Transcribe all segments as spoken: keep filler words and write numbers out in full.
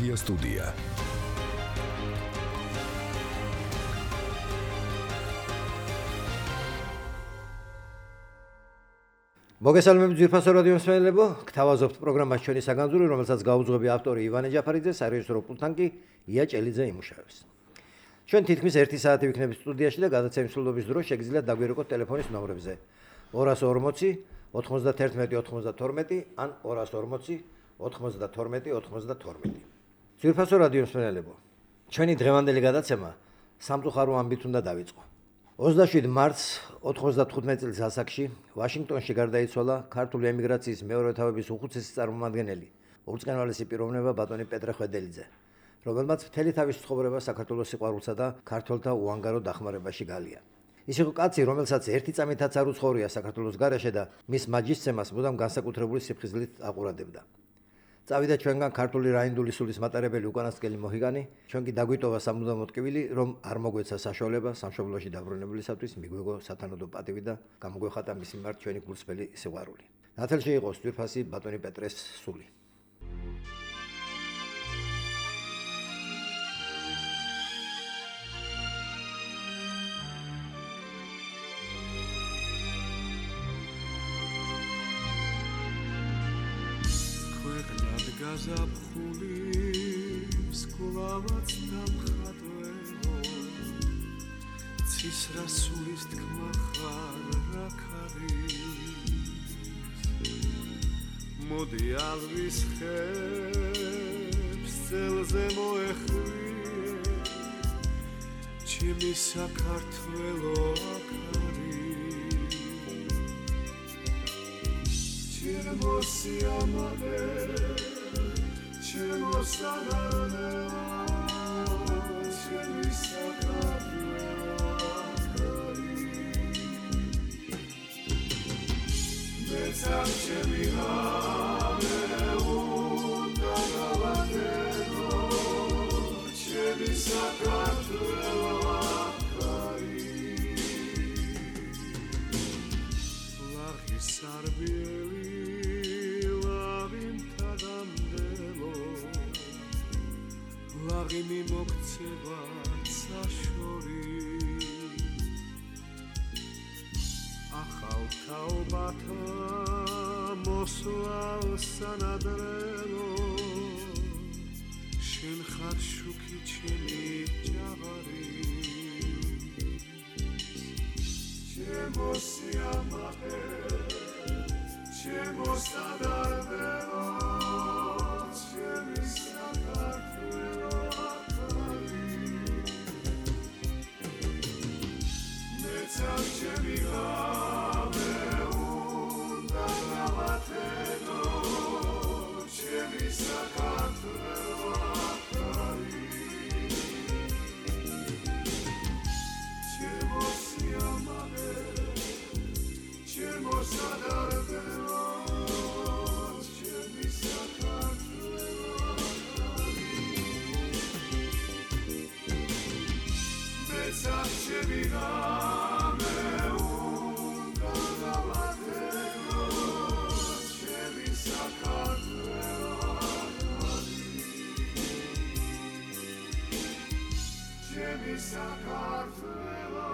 ღია სტუდია. მოგესალმებით ძვირფასო რადიო მსმენელებო, გთავაზობთ პროგრამას ჩვენი საგანძური, რომელსაც გაუძღვები ავტორი ივანე ჯაფარიძე, სარეჟისორო პულტთან კი ია ჭელიძე იმუშავებს. ჩვენ თითქმის ერთი საათი ვიქნებით სტუდიაში და გადაცემის სრულობის დროს შეგიძლიათ დაგვირეკოთ ტელეფონის ნომრებზე ორას ორმოცი ოთხმოცდათერთმეტი ოცდათორმეტი ან ორას ორმოცი ოთხმოცდათორმეტი ოცდათორმეტი. ძვირფასო რადიო მსმენელებო, ჩვენი დღევანდელი გადაცემა სამწუხარო ამბით უნდა დავიწყო. ოცდაშვიდი მარტს ოთხმოცდათხუთმეტი წლის ასაკში ვაშინგტონში გარდაიცვალა ქართული ემიგრაციის მეორე თავების უხუცესი წარმომადგენელი, უწყენვალესი პიროვნება ბატონი პეტრე ხვედელიძე, რომელმაც მთელი თავის ცხოვრება საქართველოს სიყვარულსა და ქართველთა უანგარო დახმარებაში გალია. ის იყო კაცი, რომელსაც ერთი წამითაც არ უცხოვრია საქართველოს გარეშე და მის მაჯისცემას მუდამ განსაკუთრებული სიფხიზლით აყურადებდა. წავიდა ჩვენგან ქართული რაინდული სულის მატარებელი უკანასკელი მოჰიგანი, ჩვენ კი დაგვიტოვა სამუდამო ტკივილი, რომ არ მოგვეცა საშუალება სამშობლოში დაბრუნებულისათვის მიგვეგო სათანადო პატივი და გამოგვეხატა მის მიმართ ჩვენი გულსმელი სიყვარული. ნათელში იყო ძვირფასი ბატონი პეტრეს სული. გაზაფხულის გულავაც დამხატველო ცის რასულის თქმა ხარ რაქ არის მოდი ალვის ხებს წელზე მოეხვიე ჩემი საქართველო აქ არის ჩემო სიამოვნე ჩემო საგანელა ჩემი საქართველო აქ არის მეცარ ჩემი ღამე უნდა გავატერო ჩემი საქართველო აქ არის ლაღის სარბიელი ლაღიმი მოგცევა საშორი ახალ თაობათა მოსვლალ სანადრელო შენ ხარ შუქი ჩემი ჯაღარი ჩემო სიამაყე ჩემო სადარბელო ჩემი საქართველო ჩემი ღამე უნდა გავატენო ჩემი საქართველო აქ არის ჩემო სიამაყე ჩემო სადარბელო ჩემი საქართველო მეცარ ჩემი ღამე საქართველო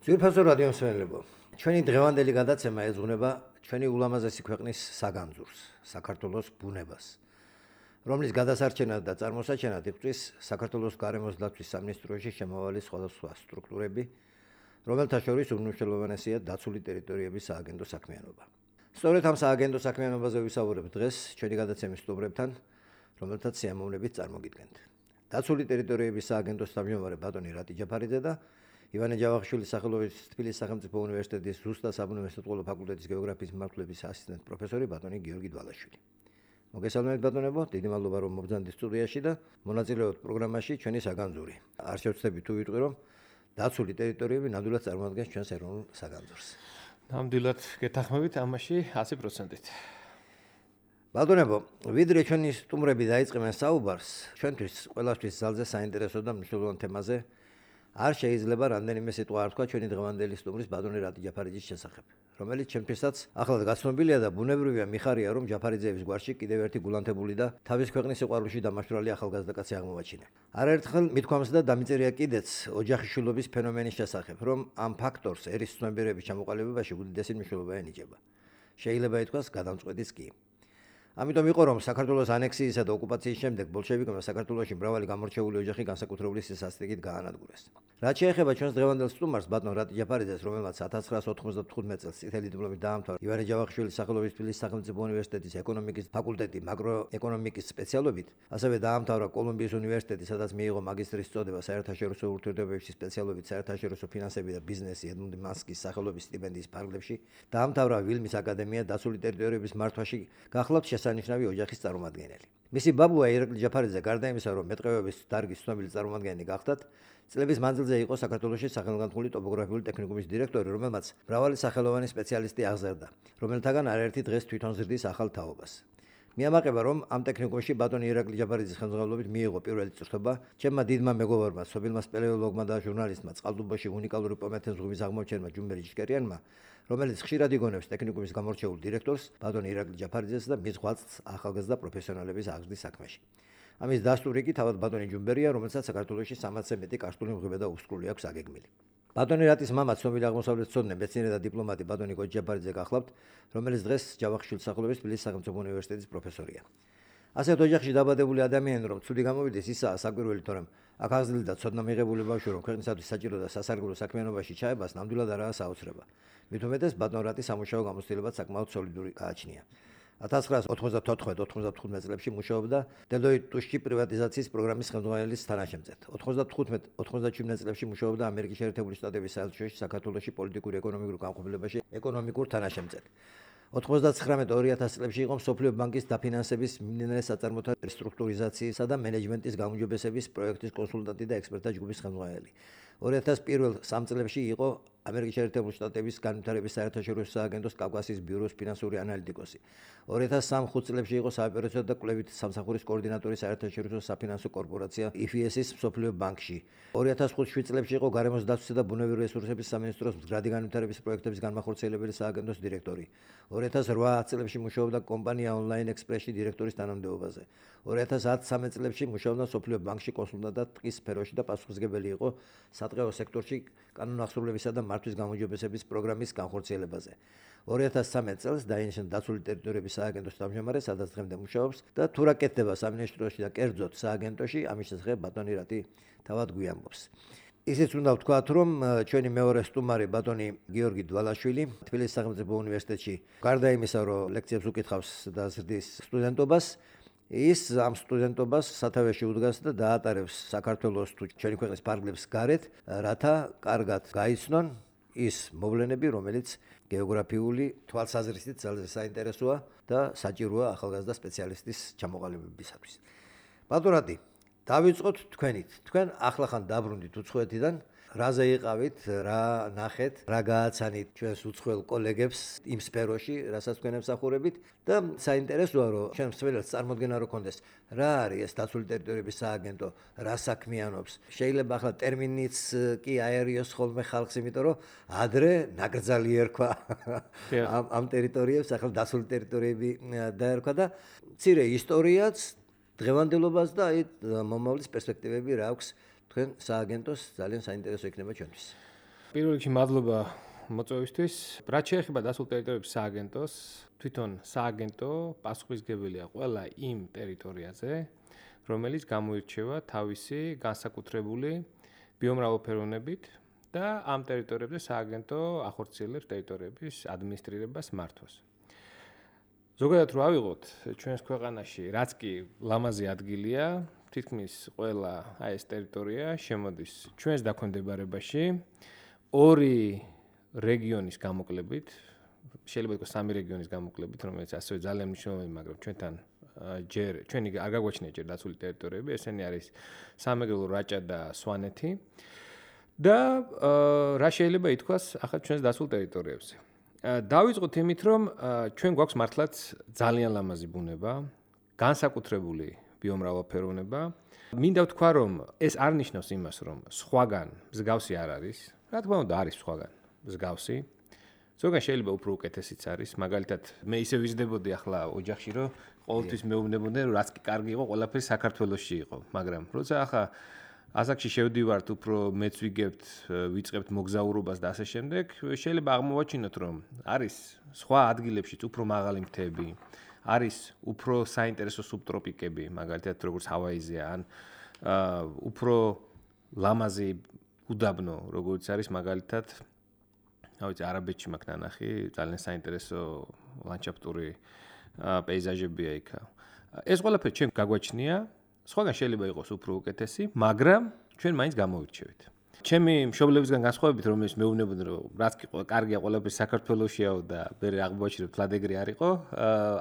ძვირფასო რადიო მსმენელებო, ჩვენი დღევანდელი გადაცემა ეძღვნება ჩვენი ულამაზესი ქვეყნის საგანძურს, საქართველოს ბუნებას, რომლის გადასარჩენად და წარმოსაჩენად იღწვის საქართველოს გარემოს დაცვის სამინისტროში შემავალი სხვადასხვა სტრუქტურები, რომელთა შორის უმნიშვნელოვანესია დაცული ტერიტორიების სააგენტო საქმიანობა. სწორედ ამ სააგენტო საქმიანობაზე ვისაუბრებ დღეს ჩვენი გადაცემის სტუმრებთან, რომელთაც სიამოვნებით წარმოგიდგენთ. დაცული ტერიტორიების სააგენტოს თავმჯდომარე ბატონი რატი ჯაფარიძე და ივანე ჯავახიშვილის სახელობის თბილისის სახელმწიფო უნივერსიტეტის ზუსტად საბუნებისმეტყველო ფაკულტეტის გეოგრაფიის მიმართულების ასისტენტ პროფესორი ბატონი გიორგი დვალაშვილი. მოგესალმებით ბატონებო, დიდი მადლობა რომ მოგზავნით სტუდიაში და მონაწილეობთ პროგრამაში ჩვენი საგანძური. არ შევცდები თუ ვიტყვი რომ დაცული ტერიტორიები ნამდვილად წარმოადგენს ჩვენს ეროვნულ საგანძურს. ნამდვილად გეთანხმებით ამაში ათი პროცენტით. ბატონებო, ვიდრე ჩვენი სტუმრები დაიწყებენ საუბარს, ჩვენთვის ყველასთვის ძალზე საინტერესო და მნიშვნელოვან თემაზე, არ შეიძლება რამდენიმე სიტყვა არ თქვა ჩვენი დღევანდელი სტუმრის ბატონი რატი ჯაფარიძის შესახებ, რომელიც ჩემთვისაც ახლად გაცნობილია და ბუნებრივია მიხარია, რომ ჯაფარიძეების გვარში კიდევ ერთი გულანთებული და თავის ქვეყნის სიყვარულში დამაშვრალი ახალგაზრდა კაცი აღმოვაჩინა. არაერთხელ მithქვამს და დამიწერია კიდეც ოჯახიშვილობის ფენომენის შესახებ, რომ ამ ფაქტორს ერის ცნობიერების ჩამოყალიბებაში უდიდესი მნიშვნელობა ენიჭება. შეიძლება ითქვას გადამწყვეტიც კი. ამიტომ იყო რომ საქართველოს ანექსიისა და ოკუპაციის შემდეგ ბოლშევიკებმა საქართველოში მრავალი გამორჩეული ოჯახი განსაკუთრებული სასტიკით გაანადგურეს. რაც შეეხება ჩვენს დღევანდელ სტუმარს ბატონ რატი ჯაფარიძეს, რომელმაც ათას ცხრაას ოთხმოცდათხუთმეტ წელს წითელი დიპლომით დაამთავრა ივანე ჯავახიშვილის სახელობის თბილისის სახელმწიფო უნივერსიტეტის ეკონომიკის ფაკულტეტი მაკროეკონომიკის სპეციალობით, ასევე დაამთავრა კოლუმბიის უნივერსიტეტი, სადაც მიიღო მაგისტრის წოდება საერთაშორისო ურთიერთობებში სპეციალობით საერთაშორისო ფინანსები და ბიზნესი ედმუნდ მასკის სახელობის სტიპენდიის ფარგლებში, დაამთავრა ვილმის აკადემია დაცული ტერიტორიების მართვაში, გახლავთ შესანიშნავი ოჯახის წარმომადგენელი. მისი ბაბუა ირაკლი ჯაფარიძე გარდა იმისა, რომ მეტყევების დარგის ცნობილი წარმომადგენელი გახდათ, წლების მანძილზე იყო საქართველოში სახელგანთქმული ტოპოგრაფიული ტექნიკუმის დირექტორი, რომელმაც მრავალი სახელოვანი სპეციალისტი აღზარდა, რომელთაგან არაერთი დღეს თვითონ ზრდის ახალ თაობას. მიამაყება, რომ ამ ტექნიკუმში ბატონი ირაკლი ჯაფარიძის ხელმძღვანელობით მიიღო პირველი წვრთობა ჩემმა დიდმა მეგობარმა, სოფილმა სპელეოლოგმა და ჟურნალისტმა, წყალტუბოში უნიკალური პომეთეს ზღვების აღმოჩენმა ჯუმბერი ჭკერიანმა, რომელიც ხშირად იგონებს ტექნიკუმის გამორჩეულ დირექტორს, ბატონ ირაკლი ჯაფარიძეს და მის ღვაწლს ახალგაზრდა პროფესიონალების აღზრდის საქმეში. ამის დასტური კი თავად ბატონი ჯუმბერია, რომელსაც საქართველოში სამოცზე მეტი კარსტული მღვიმე და უსკრული აქვს აგეგმილი. ბატონი რატის მამა ცნობილი აღმოსავლეთმცოდნე მეცნიერი და დიპლომატი ბატონი კოჯი ჯაფარიძე გახლავთ, რომელიც დღეს ჯავახიშვილის სახელობის თბილისის სახელმწიფო უნივერსიტეტის პროფესორია. ასეთ ოჯახში დაბადებული ადამიანი რომ ცუდი გამოვიდეს, ისაა საკვირველი, თორემ აქ აღზრდილი და ცოდნა მიღებული ბავშვი რომ ქვეყნისათვის საჭირო და სასარგებლო საქმიანობაში ჩაებას ნამდვილად არაა საოცრება. მით უმეტეს ბატონ რატის სამუშაო გამოცდილებაც საკმაოდ სოლიდური გააჩნია. ათას ცხრაას ოთხმოცდათოთხმეტ ოთხმოცდათხუთმეტ წლებში მუშაობდა დელოიტში პრივატიზაციის პროგრამის ხელმძღვანელის თანაშემწედ. ოთხმოცდათხუთმეტ ოთხმოცდაჩვიდმეტ წლებში მუშაობდა ამერიკის შეერთებული შტატების საელჩოში საქართველოში პოლიტიკური ეკონომიკურ განყოფილებაში ეკონომიკურ თანაშემწედ. ოთხმოცდაცხრამეტ ორი ათას წლებში იყო მსოფლიო ბანკის დაფინანსების მიმდინარე საწარმოთა რესტრუქტურიზაციისა და მენეჯმენტის გაუმჯობესების პროექტის კონსულტანტი და ექსპერტთა ჯგუფის ხელმძღვანელი. ორი ათას პირველ სამ წლებში იყო ამერიკის შეერთებული შტატების განვითარების საერთაშორისო სააგენტოს კავკასიის ბიუროს ფინანსური ანალიტიკოსი. ორი ათას სამ ხუთ წლებში იყო საოპერაციო და კვლევით სამსახურის კოორდინატორი საერთაშორისო საფინანსო კორპორაცია ай ეფ ეს-ის მსოფლიო ბანკში. ორი ათას ხუთ შვიდ წლებში იყო გარემოს დაცვისა და ბუნებრივი რესურსების სამინისტროს მდგრადი განვითარების პროექტების განმახორციელებელი სააგენტოს დირექტორი. ორი ათას რვა წლებში მუშაობდა კომპანია ონლაინ ექსპრესში დირექტორის თანამდებობაზე. ორი ათას ათი წლებში მუშაობდა მსოფლიო ბანკში კონსულტანტად ტყის სფეროში და პასუხისმგებელი იყო სატყეო სექტორში კანონახსრულებისა და მართვის გამოჯობესების პროგრამის განხორციელებაზე. ორი ათას ცხრამეტ წელს დაინიშნა დაცული ტერიტორიების სააგენტოს თავმჯდომარე, სადაც დღემდე მუშაობს და თუ რა კეთდება სამინისტროში და კერძოდ სააგენტოში, ამის შესახებ ბატონი რატი თავად გვიამბობს. ისიც უნდა ვთქვათ, რომ ჩვენი მეორე სტუმარი ბატონი გიორგი დვალაშვილი თბილისის სახელმწიფო უნივერსიტეტში გარდა იმისა, რომ ლექციებს უკითხავს და ზრდის სტუდენტობას, ის ამ სტუდენტობას სათავეში უდგას და დაატარებს საქართველოს თუ ჩვენი ქვეყნის ფარგლებს გარეთ, რათა კარგად გაიცნონ ის მოვლენები, რომელიც გეოგრაფიული თვალსაზრისით ძალზე საინტერესოა და საჭიროა ახალგაზრდა სპეციალისტის ჩამოყალიბებისათვის. ბატონ რატი, დავიწყოთ თქვენით. თქვენ ახლახან დაბრუნდით უცხოეთიდან, რაზე იყავით, რა ნახეთ, რა გააცანით ჩვენს უცხოელ კოლეგებს იმ სფეროში, რასაც თქვენ ემსახურებით და საინტერესოა, რომ ჩვენ მსმენელს წარმოდგენა რო ქონდეს, რა არის ეს დაცული ტერიტორიების სააგენტო, რა საქმიანობს. შეიძლება ახლა ტერმინიც კი აერიოს ხოლმე ხალხს, იმიტომ რომ ადრე ნაკრძალი ერქვა ამ ამ ტერიტორიებს, ახლა დაცული ტერიტორიები დაერქვა და მცირე ისტორიაც, დღევანდელობას და აი მომავლის პერსპექტივები რა აქვს თქვენ სააგენტოს, ძალიან საინტერესო იქნება ჩვენთვის. პირველ რიგში მადლობა მოწვევისთვის. რაც შეეხება დაცულ ტერიტორიების სააგენტოს, თვითონ სააგენტო პასუხისმგებელია ყველა იმ ტერიტორიაზე, რომელიც გამოირჩევა თავისი განსაკუთრებული ბიომრავალფეროვნებით და ამ ტერიტორიებზე სააგენტო ახორციელებს ტერიტორიების ადმინისტრირებას, მართვას. ზოგადად რო ავიღოთ ჩვენს ქვეყანაში, რაც კი ლამაზი ადგილია, თითქმის ყველა აი ეს ტერიტორია შემოდის ჩვენს დაქვემდებარებაში ორი რეგიონის გამოკლებით, შეიძლება ითქვას სამი რეგიონის გამოკლებით, რომელიც ასევე ძალიან მნიშვნელოვანი, მაგრამ ჩვენთან ჯერ ჩვენი არ გაგვაჩნია ჯერ დაცული ტერიტორიები, ესენი არის სამეგრელო, რაჭა და სვანეთი და რა შეიძლება ითქვას ახლა ჩვენს დაცულ ტერიტორიებზე. დავიწყოთ იმით, რომ ჩვენ გვაქვს მართლაც ძალიან ლამაზი ბუნება, განსაკუთრებული ბიომრავალფეროვნება. მინდა ვთქვა, რომ ეს არ ნიშნავს იმას, რომ სხვაგან მსგავსი არ არის. რა თქმა უნდა, არის სხვაგან მსგავსი. ზოგან შეიძლება უფრო უკეთესიც არის. მაგალითად, მე ისე ვიზრდებოდი ახლა ოჯახში, რომ ყოველთვის მეუბნებოდნენ, რომ რაც კი კარგი იყო, ყველაფერი საქართველოში იყო. მაგრამ როცა ახლა ასაკში შევდივართ, უფრო მეც ვიგებთ, ვიწყებთ მოგზაურობას და ასე შემდეგ, შეიძლება აღმოვაჩინოთ, რომ არის სხვა ადგილებშიც უფრო მაღალი მთები, არის უფრო საინტერესო სუბტროპიკები, მაგალითად, როგორც ჰავაიზია, ან უფრო ლამაზი უდაბნო, როგორც არის მაგალითად, რა ვიცი, არაბეთში მაქვს ნანახი, ძალიან საინტერესო ლანდშაფტური პეიზაჟებია იქ. ეს ყველაფერი ჩვენ გაგვაჩნია. სხვაგან შეიძლება იყოს უფრო უკეთესი, მაგრამ ჩვენ მაინც გამოვირჩევით. ჩემი მშობლებისგან განსხვავებით, რომელიც მეუბნებოდნენ, რომ რაც კი კარგია ყველაფერი საქართველოშიაო და მე აღმოაჩინებ ფლადეგრი არ იყო,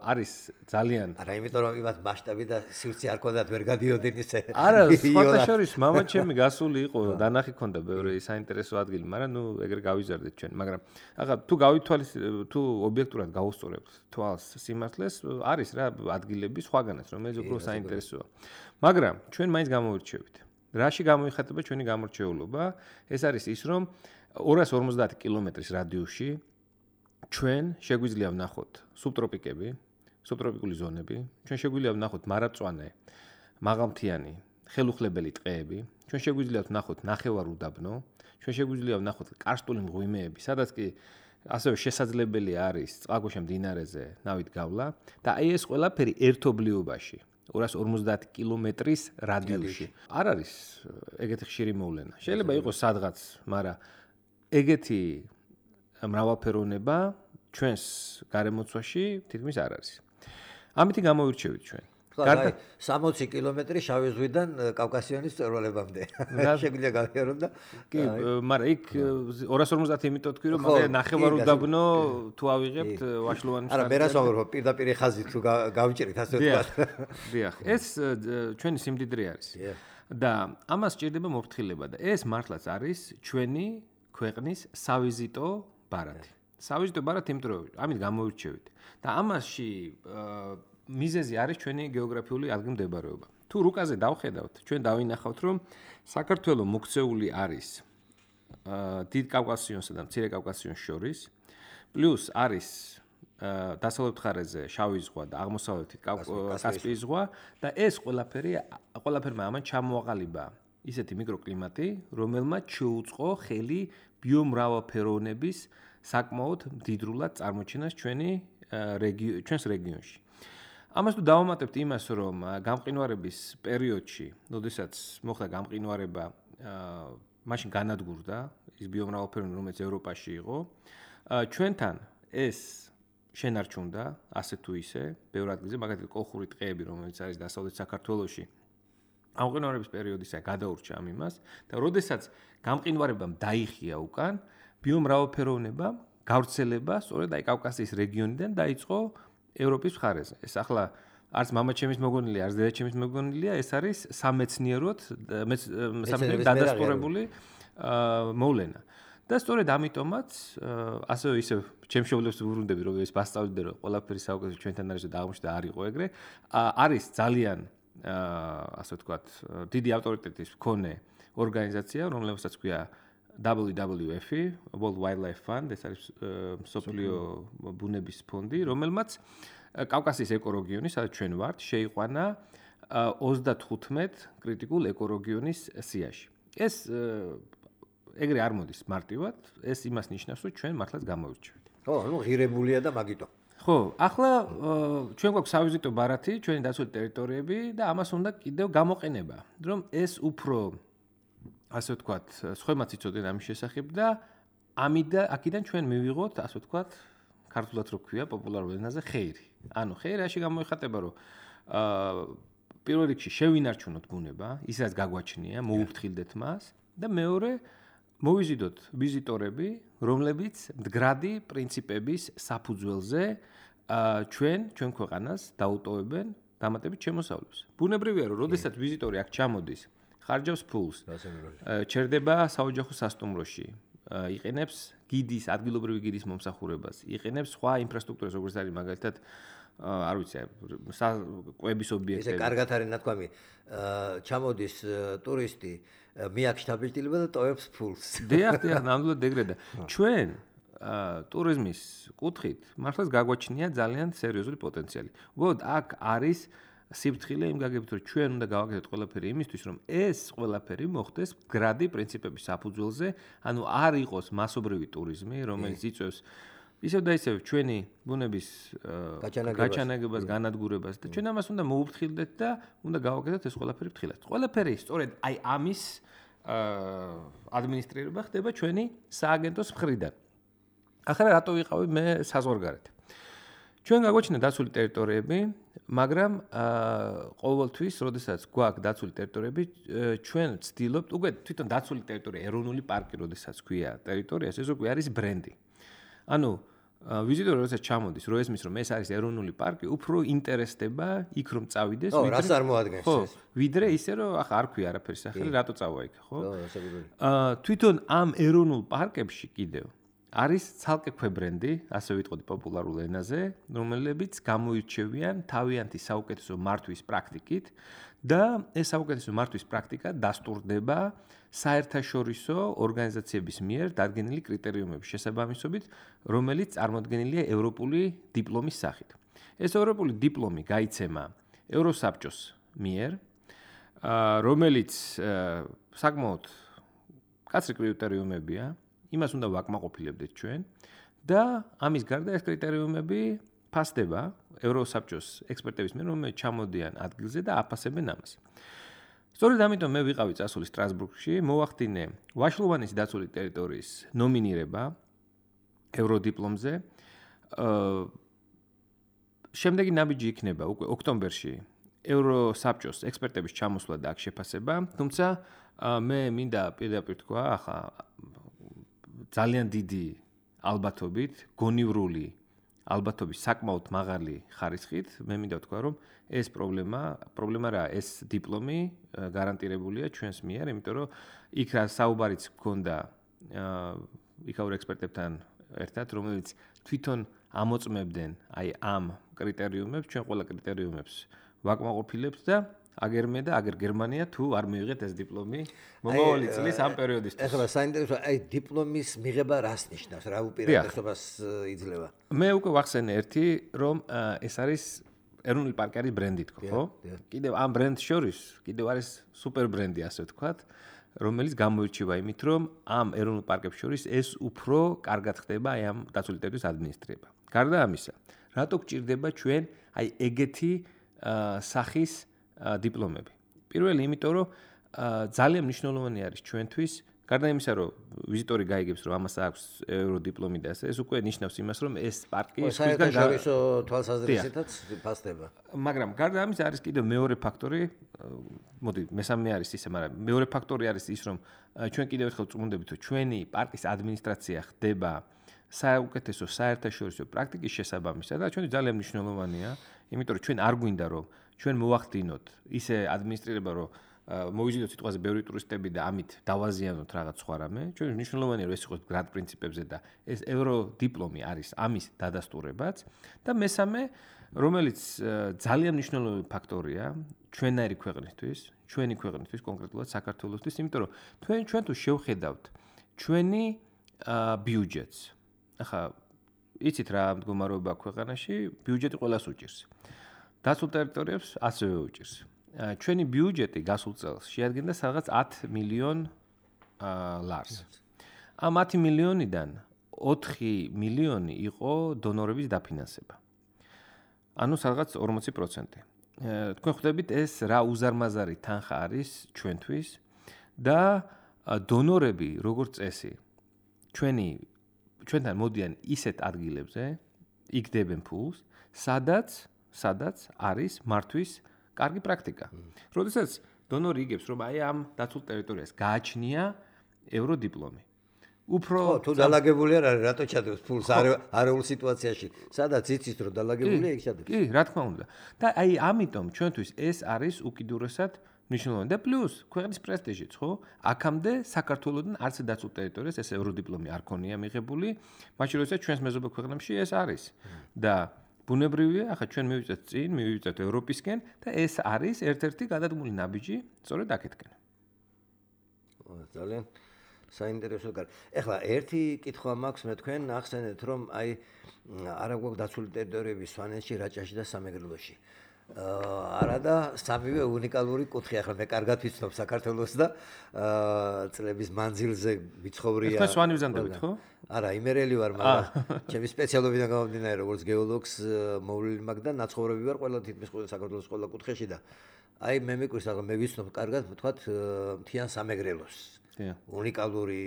არის ძალიან. არა, იმიტომ რომ იმათ მასშტაბი და სივრცე არ ქონდათ, ვერ გადიოდნენ ისე. არა, სხვათა შორის მამა ჩემი გასული იყო, დანახი ქონდა ბევრი საინტერესო ადგილი, მაგრამ ნუ ეგრე გავიზარდეთ ჩვენ, მაგრამ ახლა თუ გავითვალის თუ ობიექტურად გავუსწორებთ თვალს სიმართლეს, არის რა ადგილები სხვაგანაც, რომელიც უფრო საინტერესოა. მაგრამ ჩვენ მაინც გამოვირჩევით. რაში გამოიხატება ჩვენი გამორჩეულობა? ეს არის ის, რომ ორას ორმოცდაათი კილომეტრის რადიუსში ჩვენ შეგვიძლია ვნახოთ სუბტროპიკები, სუბტროპიკული ზონები, ჩვენ შეგვიძლია ვნახოთ მარადმწვანე, მაღალმთიანი, ხელუხლებელი ტყეები, ჩვენ შეგვიძლია ვნახოთ ნახევარუდაბნო, ჩვენ შეგვიძლია ვნახოთ კარსტული მღვიმეები, სადაც კი ასევე შესაძლებელი არის წყალქვეშა მდინარეზე ნავით გავლა და აი ეს ყველაფერი ერთობლიობაში ორას ორმოცდაათი კილომეტრის რადიუსში. არ არის ეგეთი ხშირი მოვლენა. შეიძლება იყოს სადღაც, მაგრამ ეგეთი მრავალფეროვნება ჩვენს გარემოცვაში თითქმის არ არის. ამითი გამოვირჩევით ჩვენ. გარდა სამოცი კილომეტრი შავი ზღვიდან კავკასიონის მწვერვალებამდე. შეგვიძლია გავიაროთ და კი, მაგრამ იქ ორას ორმოცდაათი იმიტომ თქვი, რომ მაგალითად ნახევარუდაბნო თუ ავიღებთ ვაშლოვანის არა, მე რას ვამბობ, პირდაპირ ხაზით თუ გავიჭერით ასე ვთქვათ. დიახ, ეს ჩვენი სიმდიდრე არის. და ამას სჭირდება მოფრთხილება და ეს მართლაც არის ჩვენი ქვეყნის სავიზიტო ბარათი. სავიზიტო ბარათი, იმიტომ რომ ამით გამოვირჩევით. და ამასში მიზეზი არის ჩვენი გეოგრაფიული ადგილმდებარეობა. თუ რუკაზე დავხედავთ, ჩვენ დავინახავთ, რომ საქართველო მოქცეული არის დიდ კავკასიონსა და მცირე კავკასიონს შორის, პლუს არის დასავლეთ მხარეზე შავი ზღვა და აღმოსავლეთით კასპიის ზღვა და ეს ყველაფერი ყველაფერმა ამან ჩამოაყალიბა ისეთი მიკროკლიმატი, რომელმაც შეუწყო ხელი ბიომრავალფეროვნების საკმაოდ მდიდრულად წარმოჩენას ჩვენი ჩვენს რეგიონში. ამას თუ დავამატებთ იმას, რომ გამყინვარების პერიოდში, როდესაც მოხდა გამყინვარება, მაშინ განადგურდა ის ბიომრავალფეროვნება, რომელიც ევროპაში იყო, ჩვენთან ეს შენარჩუნდა ასე თუ ისე, ბევრ ადგილზე, მაგალითად კოლხური ტყეები, რომელიც არის დასავლეთ საქართველოში, გამყინვარების პერიოდისა გადაურჩა ამ იმას და როდესაც გამყინვარებამ დაიხია უკან, ბიომრავალფეროვნებამ გავრცელება სწორედ აი კავკასიის რეგიონიდან დაიწყო ევროპის მხარეზე. ეს ახლა არც მამაჩემის მოგონილია, არც დედაჩემის მოგონილია, ეს არის სამეცნიეროდ სამეცნიეროდ დადასტურებული მოვლენა. და სწორედ ამიტომაც ასევე ისე ჩემს მშობლებს ვუბრუნდები, რომ ეს მასწავლდნენ, რომ ყველაფერი საუკეთესო ჩვენთან არის და აღმოჩნდა არ იყო ეგრე, არის ძალიან ასე ვთქვათ, დიდი ავტორიტეტის მქონე ორგანიზაცია, რომელსაც ქვია დაბლიუ დაბლიუ ეფ, World Wildlife Fund, ეს არის მსოფლიო ბუნების ფონდი, რომელმაც კავკასიის ეკორეგიონი, სადაც ჩვენ ვართ, შეიყვანა ოცდათხუთმეტ კრიტიკულ ეკორეგიონის სიაში. ეს ეგრე არ მოდის მარტივად, ეს იმას ნიშნავს, რომ ჩვენ მართლაც გამოვირჩევით. ხო, ნუ ღირებულია და მაგიტო. ხო, ახლა ჩვენ გვაქვს სავიზიტო ბარათი, ჩვენი დაცული ტერიტორიები და ამას უნდა კიდევ გამოყენება, რომ ეს უფრო ასე ვთქვათ, სხვემაც იცოდნენ ამის შესახებ და ამიდა აქედან ჩვენ მივიღოთ, ასე ვთქვათ, ქართულად რო ქვია პოპულარულ ენაზე ხეირი. ანუ ხეირი რაში გამოიხატება, რომ აა პირველ რიგში შევინარჩუნოთ ბუნება, ის რაც გაგვაჩნია, მოუფრთხილდეთ მას და მეორე მოვიზიდოთ ვიზიტორები, რომლებიც მდგრადი პრინციპების საფუძველზე ჩვენ ჩვენ ქვეყანას დაუტოვებენ დამატებით შემოსავლებს. ბუნებრივია, რომ როდესაც ვიზიტორი აქ ჩამოდის, ხარჯავს ფულს, ჩერდება საოჯახო სასტუმროში, იყენებს გიდის, ადგილობრივი გიდის მომსახურებას, იყენებს სხვა ინფრასტრუქტურას, როგორც არის მაგალითად არ ვიცი, კვების ობიექტები. ესე კარგად არის ნათქვამი, ჩამოდის ტურისტი, მიაქვს შთაბეჭდილება და ტოვებს ფულს. დიახ, დიახ, ნამდვილად ეგრე და ჩვენ ტურიზმის კუთხით მართლაც გაგვაჩნია ძალიან სერიოზული პოტენციალი. უბრალოდ აქ არის სიფრთხილე იმ გაგებით, რომ ჩვენ უნდა გავაკეთოთ ყველაფერი იმისთვის, რომ ეს ყველაფერი მოხდეს გრადი პრინციპების საფუძველზე, ანუ არ იყოს მასობრივი ტურიზმი, რომელიც იწვევს ისევ და ისევ ჩვენი ბუნების გაჩანაგებას, განადგურებას და ჩვენ ამას უნდა მოუფრთხილდეთ და უნდა გავაკეთოთ ეს ყველაფერი ფრთხილად. ყველაფერი სწორედ აი ამის ადმინისტრირება ხდება ჩვენი სააგენტოს მხრიდან. ახლა რატო ვიყავი მე საზღვარგარეთ? ჩვენ გაგვაჩნია დაცული ტერიტორიები, მაგრამ ყოველთვის, როდესაც გვაქვს დაცული ტერიტორიები, ჩვენ ვცდილობთ, უკვე თვითონ დაცული ტერიტორია, ეროვნული პარკი, როდესაც ქვია ტერიტორიას, ეს უკვე არის ბრენდი. ანუ ვიზიტორი როდესაც ჩამოდის, რო ესმის, რომ ეს არის ეროვნული პარკი, უფრო ინტერესდება იქ რომ წავიდეს, ვიდრე რას წარმოადგენს ეს? ვიდრე ისე რომ ახლა არ ქვია არაფერი სახელი, რატო წავა იქ, ხო? ხო, საკუთარი. აა თვითონ ამ ეროვნულ პარკებში კიდევ არის ცალკე ქვებრენდი, ასე ვიტყოდი პოპულარულ ენაზე, რომლებიც გამოირჩევიან თავიანთი საუკეთესო მართვის პრაქტიკით და ეს საუკეთესო მართვის პრაქტიკა დასტურდება საერთაშორისო ორგანიზაციების მიერ დადგენილი კრიტერიუმების შესაბამისობით, რომელიც წარმოდგენილია ევროპული დიპლომის სახით. ეს ევროპული დიპლომი გაიცემა ევროსაბჭოს მიერ, რომელიც საკმაოდ კაცრი კრიტერიუმებია, იმას უნდა ვაკმაყოფილებდეთ ჩვენ და ამის გარდა ეს კრიტერიუმები ფასდება ევროსაბჭოს ექსპერტების მიერ, რომლებიც ჩამოდიან ადგილზე და აფასებენ ამას. სწორედ ამიტომ მე ვიყავი წასული სტრასბურგში, მოვახდინე ვაშლოვანის დაცული ტერიტორიის ნომინირება ევროდიპლომზე. შემდეგი ნაბიჯი იქნება უკვე ოქტომბერში ევროსაბჭოს ექსპერტების ჩამოსვლა და აქ შეფასება, თუმცა მე მინდა პირდაპირ თქვა, ახლა ძალიან დიდი ალბათობით, გონივრული ალბათობის საკმაოდ მაღალი ხარისხით, მე მინდა ვთქვა, რომ ეს პრობლემა, პრობლემა რა, ეს დიპლომი გარანტირებულია ჩვენს მიერ, იმიტომ რომ იქ რა საუბარიც გქონდა იქაურ ექსპერტებთან ერთად, რომლებიც თვითონ ამოწმებდნენ აი ამ კრიტერიუმებს, ჩვენ ყველა კრიტერიუმებს ვაკმაყოფილებთ და აგერ მე და აგერ გერმანია თუ არ მივიღეთ ეს დიპლომი მომავალი წლის ამ პერიოდისთვის. ეხლა საინტერესო, აი დიპლომის მიღება რას ნიშნავს, რა უპირატესობას იძლევა? მე უკვე ვახსენე ერთი, რომ ეს არის ეროვნული პარკი არის ბრენდი თქო, ხო? კიდევ ამ ბრენდს შორის კიდევ არის სუპერ ბრენდი, ასე ვთქვათ, რომელიც გამოირჩევა იმით, რომ ამ ეროვნულ პარკებს შორის ეს უფრო კარგად ხდება აი ამ დაცული ტერიტორიის ადმინისტრირება. გარდა ამისა, რატო გჭირდება ჩვენ აი ეგეთი სახის დიპლომები? პირველი, იმიტომ რომ ძალიან მნიშვნელოვანი არის ჩვენთვის, გარდა იმისა, რომ ვიზიტორი გაიგებს, რომ ამას აქვს ევროდიპლომი და ასე, ეს უკვე ნიშნავს იმას, რომ ეს პარკი საერთაშორისო თვალსაზრისითაც ფასდება. მაგრამ გარდა ამისა არის კიდევ მეორე ფაქტორი, მოდი, მესამე არის ისე, მაგრამ მეორე ფაქტორი არის ის, რომ ჩვენ კიდევ ერთხელ წმუნდებით, რომ ჩვენი პარკის ადმინისტრაცია ხდება საუკეთესო საერთაშორისო პრაქტიკის შესაბამისად და ჩვენი ძალიან მნიშვნელოვანია, იმიტომ რომ ჩვენ არ გვინდა რომ ჩვენ მოვახდინოთ ისე ადმინისტრირება, რომ მოვიზიდოთ სიტყვაზე ბევრი ტურისტები და ამით დავაზიანოთ რაღაც სხვა რამე. ჩვენ მნიშვნელოვანია რომ ეს იყოს გრად პრინციპებზე და ეს ევროდიპლომი არის ამის დადასტურებაც და მესამე, რომელიც ძალიან მნიშვნელოვანი ფაქტორია ჩვენაირი ქვეყნისთვის, ჩვენი ქვეყნისთვის, კონკრეტულად საქართველოსთვის, იმიტომ რომ თქვენ ჩვენ თუ შევხედავთ ჩვენი ბიუჯეტს. ახლა იცით რა მდგომარეობა ქვეყანაში, ბიუჯეტი ყველას უჭირს. დაცულ ტერიტორიებს ასევე უჭირს. ჩვენი ბიუჯეტი გასულ წელს შეადგენდა სადღაც ათი მილიონ ლარს. ამ ათი მილიონიდან ოთხი მილიონი იყო დონორების დაფინანსება. ანუ სადღაც ორმოცი პროცენტი. თქვენ ხვდებით ეს რა უზარმაზარი თანხა არის ჩვენთვის და დონორები როგორც წესი ჩვენი ჩვენთან მოდიან ისეთ ადგილებზე, იგდებენ ფულს, სადაც სადაც არის მართვის კარგი პრაქტიკა. როდესაც დონორი იგებს, რომ აი ამ დაცულ ტერიტორიას გააჩნია ევროდიპლომი. უფრო თუ დალაგებული არ არის, რატო ჩადებს ფულს არეულ სიტუაციაში? სადაც იცით, რომ დალაგებულია, იქ ჩადებს. კი, რა თქმა უნდა. და აი ამიტომ ჩვენთვის ეს არის უკიდურესად მნიშვნელოვანი და პლუს ქვეყნის პრესტიჟიც, ხო? აქამდე საქართველოსთან არც დაცულ ტერიტორიას ეს ევროდიპლომი არ ქონია მიღებული, მაშინ როდესაც ჩვენს მეზობელ ქვეყნებში ეს არის. და ბუნებრივია, ახლა ჩვენ მივიწევთ წინ, მივიწევთ ევროპისკენ და ეს არის ერთ-ერთი გადადგმული ნაბიჯი სწორედ აქეთკენ. ძალიან საინტერესო კარ. ეხლა ერთი კითხვა მაქვს მე თქვენ ახსენეთ რომ აი არა გვაქვს დაცული ტერიტორიები სვანეთში, რაჭაში და სამეგრელოში. არა და სამივე უნიკალური კუთხე. ახლა მე კარგად ვიცნობ საქართველოს და წლების მანძილზე ვიცხოვრია. ახლა სვანი ვზანდებით ხო? არა, იმერელი ვარ, მაგრამ ჩემი სპეციალობიდან გამომდინარე, როგორც გეოლოგს მოვლილი მაქვს და ნაცხოვრები ვარ ყველა თითქმის ყველა საქართველოს ყველა კუთხეში და აი მე მეკვირს, ახლა მე ვიცნობ კარგად, ვთქვათ, მთიან სამეგრელოს. უნიკალური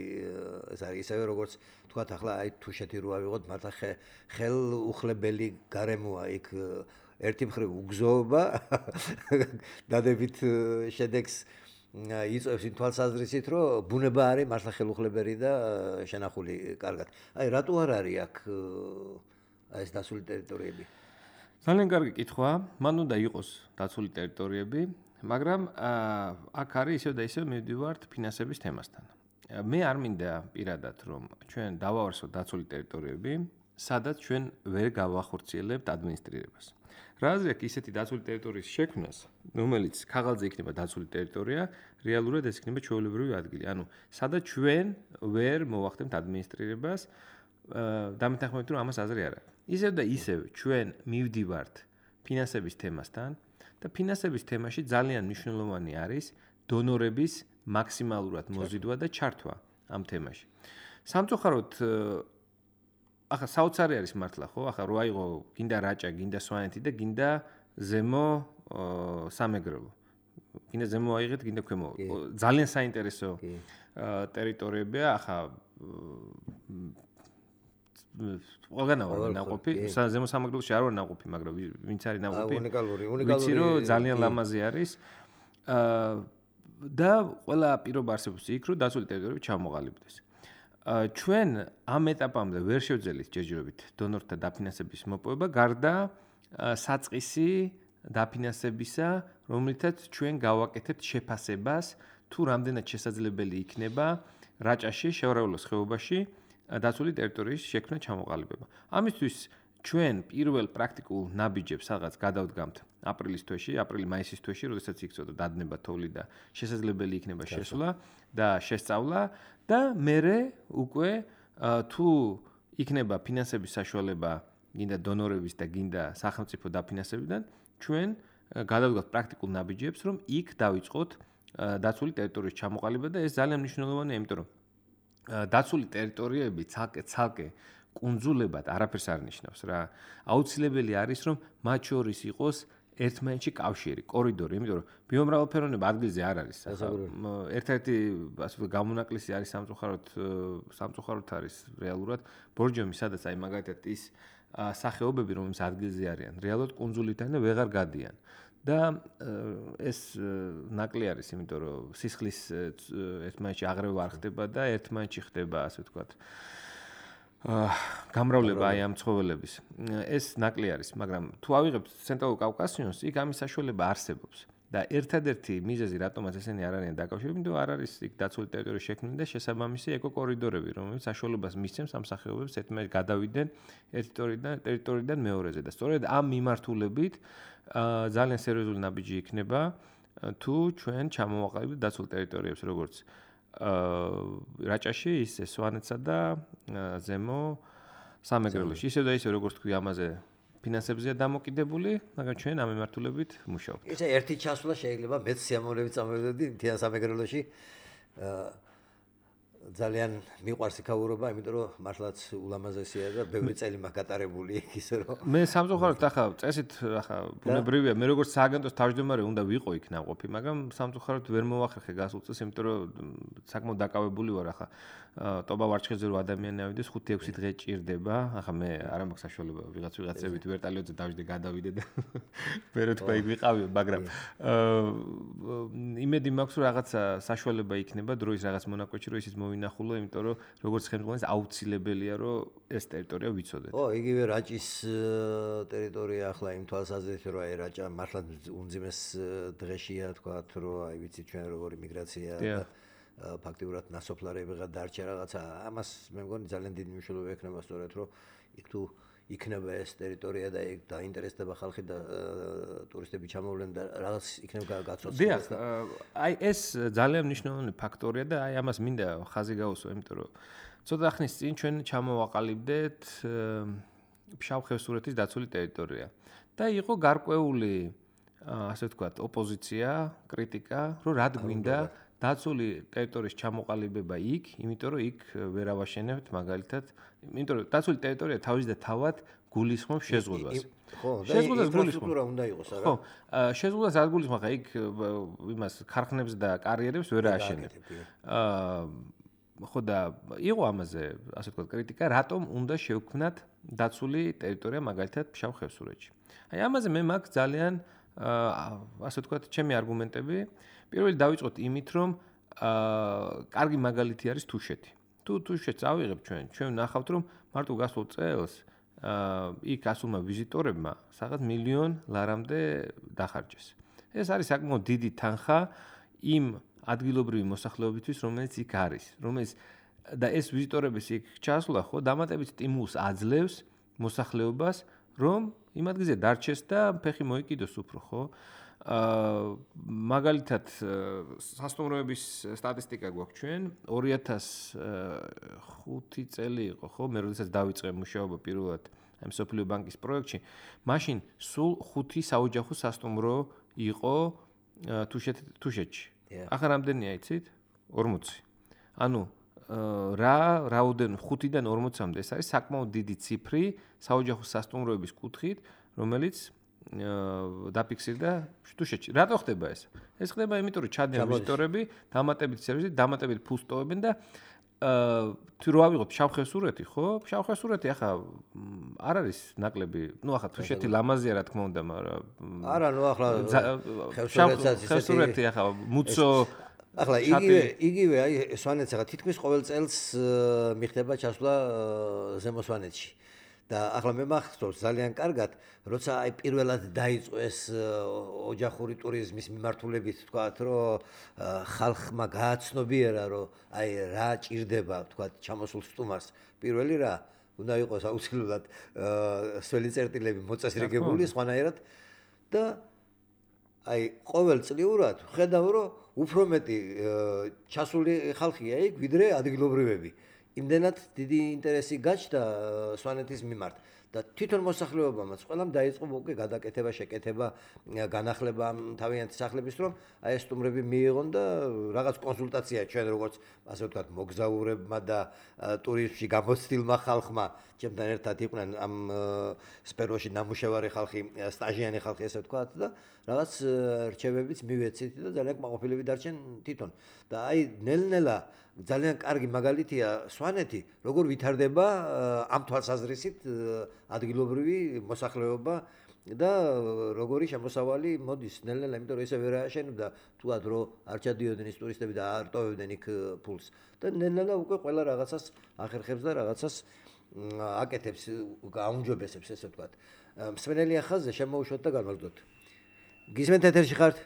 ეს არის ისევე როგორც თქვათ ახლა აი თუშეთი რო ავიღოთ, მართლა ხელუხლებელი გარემოა იქ ერთი მხრივ უგზოობა დადებით შედეგს იწევს იმ თვალსაზრისით, რომ ბუნება არის მართლა ხელუხლებელი და შენახული კარგად. აი რატო არ არის აქ ეს დაცული ტერიტორიები? ძალიან კარგი კითხვა. მან უნდა იყოს დაცული ტერიტორიები, მაგრამ აქ არის ისევ და ისევ მივდივართ ფინანსების თემასთან. მე არ მინდა პირადად რომ ჩვენ დავავარსოთ დაცული ტერიტორიები, სადაც ჩვენ ვერ გავახორციელებთ ადმინისტრირებას. რა აზრი აქვს ისეთი დაცული ტერიტორიის შექმნას, რომელიც ქაღალდზე იქნება დაცული ტერიტორია, რეალურად ეს იქნება ჩვეულებრივი ადგილი. ანუ სადაც ჩვენ ვერ მოვახდენთ ადმინისტრირებას, დამეთანხმებით რომ ამას აზრი არ აქვს. ისევ და ისევ ჩვენ მივდივართ ფინანსების თემასთან და ფინანსების თემაში ძალიან მნიშვნელოვანი არის დონორების მაქსიმალურად მოზიდვა და ჩართვა ამ თემაში. სამწუხაროდ ახლა საოცარი არის მართლა ხო? ახლა რო აიღო გინდა რაჭა, გინდა სვანეთი და გინდა ზემო სამეგრელო. გინდა ზემო აიღეთ, გინდა ქვემო. ძალიან საინტერესო ტერიტორიებია, ახლა ყველგანა ვარ ნაყოფი, ზემო სამეგრელოში არ ვარ ნაყოფი, მაგრამ ვინც არის ნაყოფი. უნიკალური, უნიკალური. ვიცი რომ ძალიან ლამაზი არის. და ყველა პირობა არსებობს იქ, რომ დაცული ტერიტორიები ჩამოყალიბდეს. ჩვენ ამ ეტაპამდე ვერ შევძელით ჯერჯერობით დონორთა დაფინანსების მოპოვება, გარდა საწყისი დაფინანსებისა, რომლითაც ჩვენ გავაკეთებთ შეფასებას, თუ რამდენად შესაძლებელი იქნება რაჭაში, შევარაულოს ხეობაში დაცული ტერიტორიის შექმნა ჩამოყალიბება. ამისთვის ჩვენ პირველ პრაქტიკულ ნაბიჯებს რაღაც გადავდგამთ აპრილის თვეში, აპრილი-მაისის თვეში, როდესაც იქცოდა დადნება თოვლი და შესაძლებელი იქნება შესვლა და შესწავლა და მერე უკვე თუ იქნება ფინანსების საშუალება გინდა დონორების და გინდა სახელმწიფო დაფინანსებიდან, ჩვენ გადავდგავთ პრაქტიკულ ნაბიჯებს, რომ იქ დავიწყოთ დაცული ტერიტორიის ჩამოყალიბება და ეს ძალიან მნიშვნელოვანია, იმიტომ რომ დაცული ტერიტორიები ცალკე ცალკე კუნძულებად არაფერს არ ნიშნავს რა. აუცილებელი არის რომ მათ შორის იყოს ერთმანეთში კავშირი, კორიდორი, იმიტომ რომ ბიომრავალფეროვნება ადგილზე არ არის. ერთ-ერთი ასე ვთქვათ გამონაკლისი არის სამწუხაროდ სამწუხაროდ არის რეალურად ბორჯომი, სადაც აი მაგალითად ის სახეობები, რომლებიც ადგილზე არიან, რეალურად კუნძულიდან ვეღარ გადიან. და ეს ნაკლი არის, იმიტომ რომ სისხლის ერთმანეთში აღრევა არ ხდება და ერთმანეთში ხდება, ასე ვთქვათ, გამრავლება აი ამ ცხოველების. ეს ნაკლი არის, მაგრამ თუ ავიღებთ ცენტრალურ კავკასიონს, იქ ამის საშუალება არსებობს. და ერთადერთი მიზეზი, რატომაც ესენი არ არიან დაკავშირებული, იმიტომ არ არის იქ დაცული ტერიტორიის შექმნა და შესაბამისი ეკოკორიდორები, რომელიც საშუალებას მისცემს ამ სახეობებს ერთმანეთს გადავიდნენ ერთი ტერიტორიიდან მეორეზე და სწორედ ამ მიმართულებით ძალიან სერიოზული ნაბიჯი იქნება, თუ ჩვენ ჩამოვაყალიბებთ დაცულ ტერიტორიებს, როგორც რაჭაში, ისე სვანეთსა და ზემო სამეგრელოში. ისე და ისე როგორც თქვი, ამაზე ფინანსებზეა დამოკიდებული, მაგრამ ჩვენ ამ მიმართულებით მუშაობთ. ისე ერთი ჩასვლა შეიძლება მეც სიამოვნებით წამოვიდოდი მთიან სამეგრელოში. ძალიან მიყვარს იქაურობა, იმიტომ რომ მართლაც ულამაზესია და ბევრი წელი მაქვს გატარებული იქ ისე რომ მე სამწუხაროდ ახლა წესით ახლა ბუნებრივია, მე როგორც სააგენტოს თავმჯდომარე უნდა ვიყო იქ ნაყოფი, მაგრამ სამწუხაროდ ვერ მოვახერხე გასულ წელს, იმიტომ რომ საკმაოდ დაკავებული ვარ ახლა. ტობა ვარჩხეზე რო ადამიანი ავიდეს ხუთი ექვსი დღე ჭირდება. ახლა მე არ მაქვს საშუალება ვიღაც ვიღაცებით ვერტალიოზე დავждე გადავიდე და მერე თქვა იქ ვიყავი, მაგრამ იმედი მაქვს რომ რაღაცა საშუალება იქნება დროის რაღაც მონაკვეთში, რომ ისიც მოვინახულო, იმიტომ რომ როგორც ხელმძღვანელს აუცილებელია რომ ეს ტერიტორია ვიცოდეთ. ო, იგივე რაჭის ტერიტორია ახლა იმ თვალსაზრისით რომ აი რაჭა მართლა უმძიმეს დღეშია, თქვათ რომ აი ვიცი ჩვენ როგორი მიგრაცია და ფაქტიურად ნასოფლარები დარჩა რაღაცა. ამას მე მგონი ძალიან დიდი მნიშვნელობა ექნება სწორედ რომ იქ თუ იქნება ეს ტერიტორია და იქ დაინტერესდება ხალხი და ტურისტები ჩამოვლენ და რაღაც იქნება გაცოცხლება. დიახ, აი ეს ძალიან მნიშვნელოვანი ფაქტორია და აი ამას მინდა ხაზი გაუსვა, იმიტომ რომ ცოტა ხნის წინ ჩვენ ჩამოვაყალიბდეთ ფშავ-ხევსურეთის დაცული ტერიტორია და იყო გარკვეული ასე ვთქვათ, ოპოზიცია, კრიტიკა, რომ რად გვინდა დაცული ტერიტორიის ჩამოყალიბება იქ, იმიტომ რომ იქ ვერ ავაშენებთ მაგალითად, იმიტომ რომ დაცული ტერიტორია თავის და თავად გულისხმობს შეზღუდვას. ხო, და ინფრასტრუქტურა უნდა იყოს, არა? ხო, შეზღუდვას არ გულისხმობს, ხა იქ იმას ქარხნებს და კარიერებს ვერ ააშენებთ. აა ხო და იყო ამაზე, ასე ვთქვათ, კრიტიკა, რატომ უნდა შევქმნათ დაცული ტერიტორია მაგალითად ფშავ-ხევსურეთში. აი ამაზე მე მაქვს ძალიან ასე ვთქვათ, ჩემი არგუმენტები. პირველი დავიწყოთ იმით, რომ აა კარგი მაგალითი არის თუშეთი. თუ თუშეთს ავიღებ ჩვენ, ჩვენ ნახავთ, რომ მარტო გასულ წელს აა იქ გასულმა ვიზიტორებმა სადღაც მილიონ ლარამდე დახარჯეს. ეს არის საკმაოდ დიდი თანხა იმ ადგილობრივი მოსახლეობისთვის, რომელიც იქ არის, რომელიც და ეს ვიზიტორების იქ ჩასვლა ხო დამატებით სტიმულს აძლევს მოსახლეობას, რომ იმ ადგილზე დარჩეს და ფეხი მოიკიდოს უფრო, ხო? აა მაგალითად სასტუმროების სტატისტიკა გვაქვს ჩვენ ორი ათას ხუთი წელი იყო, ხო? მე როდესაც დავიწყე მუშაობა პირველად ამ სოფლიო ბანკის პროექტში, მაშინ სულ ხუთი საოჯახო სასტუმრო იყო თუშეთში. ახლა რამდენია იცით? ორმოცი. ანუ რა რაოდენ ხუთიდან ორმოცამდე ეს არის საკმაოდ დიდი ციფრი საოჯახო სასტუმროების კუთხით, რომელიც დაფიქსირდა თუშეთში. რატო ხდება ეს? ეს ხდება იმიტომ, რომ ჩადიან ვიზიტორები, დამატებით სერვისი, დამატებით ფულს ტოვებენ და თუ რო ავიღოთ ფშავ-ხევსურეთი, ხო? ფშავ-ხევსურეთი ახლა არ არის ნაკლები, ნუ ახლა თუშეთი ლამაზია რა თქმა უნდა, მაგრამ არა, ნუ ახლა ხევსურეთი ახლა მუცო ახლა იგივე იგივე აი სვანეთს ახლა თითქმის ყოველ წელს მიხდება ჩასვლა ზემო სვანეთში. და ახლა მე მახსოვს ძალიან კარგად, როცა აი პირველად დაიწყო ეს ოჯახური ტურიზმის მიმართულებით, თქვათ, რომ ხალხმა გააცნობიერა, რომ აი რა ჭირდება, თქვათ, ჩამოსულ სტუმარს. პირველი რა უნდა იყოს აუცილებლად სველი წერტილები მოწესრიგებული სხვანაირად და აი ყოველწლიურად ხედავ, რომ უფრო მეტი ჩასული ხალხია იქ, ვიდრე ადგილობრივები. იმდენად დიდი ინტერესი გაჩნდა სვანეთის მიმართ და თვითონ მოსახლეობამაც ყველამ დაიწყო უკვე გადაკეთება, შეკეთება, განახლება თავიანთი სახლების, რომ აი ეს სტუმრები მიიღონ და რაღაც კონსულტაცია ჩვენ როგორც ასე ვთქვათ მოგზაურებმა და ტურიზმში გამოცდილმა ხალხმა, ჩემთან ერთად იყვნენ ამ სფეროში ნამუშევარი ხალხი, სტაჟიანი ხალხი ასე ვთქვათ და რაღაც რჩევებიც მივეცით და ძალიან კმაყოფილები დარჩენ თვითონ. და აი ნელ-ნელა ძალიან კარგი მაგალითია სვანეთი, როგორ ვითარდება ამ თვალსაზრისით ადგილობრივი მოსახლეობა და როგორი შემოსავალი მოდის ნელ-ნელა, იმიტომ რომ ესე ვერ ააშენებდა თუად რომ არ ჩადიოდნენ ის ტურისტები და არ ტოვებდნენ იქ ფულს. და ნელ-ნელა უკვე ყველა რაღაცას ახერხებს და რაღაცას აკეთებს, გააუმჯობესებს, ესე ვთქვათ. მსმენელი ახალზე შემოუშვათ და განვალდოთ. გისმენთ ეთერში ხართ?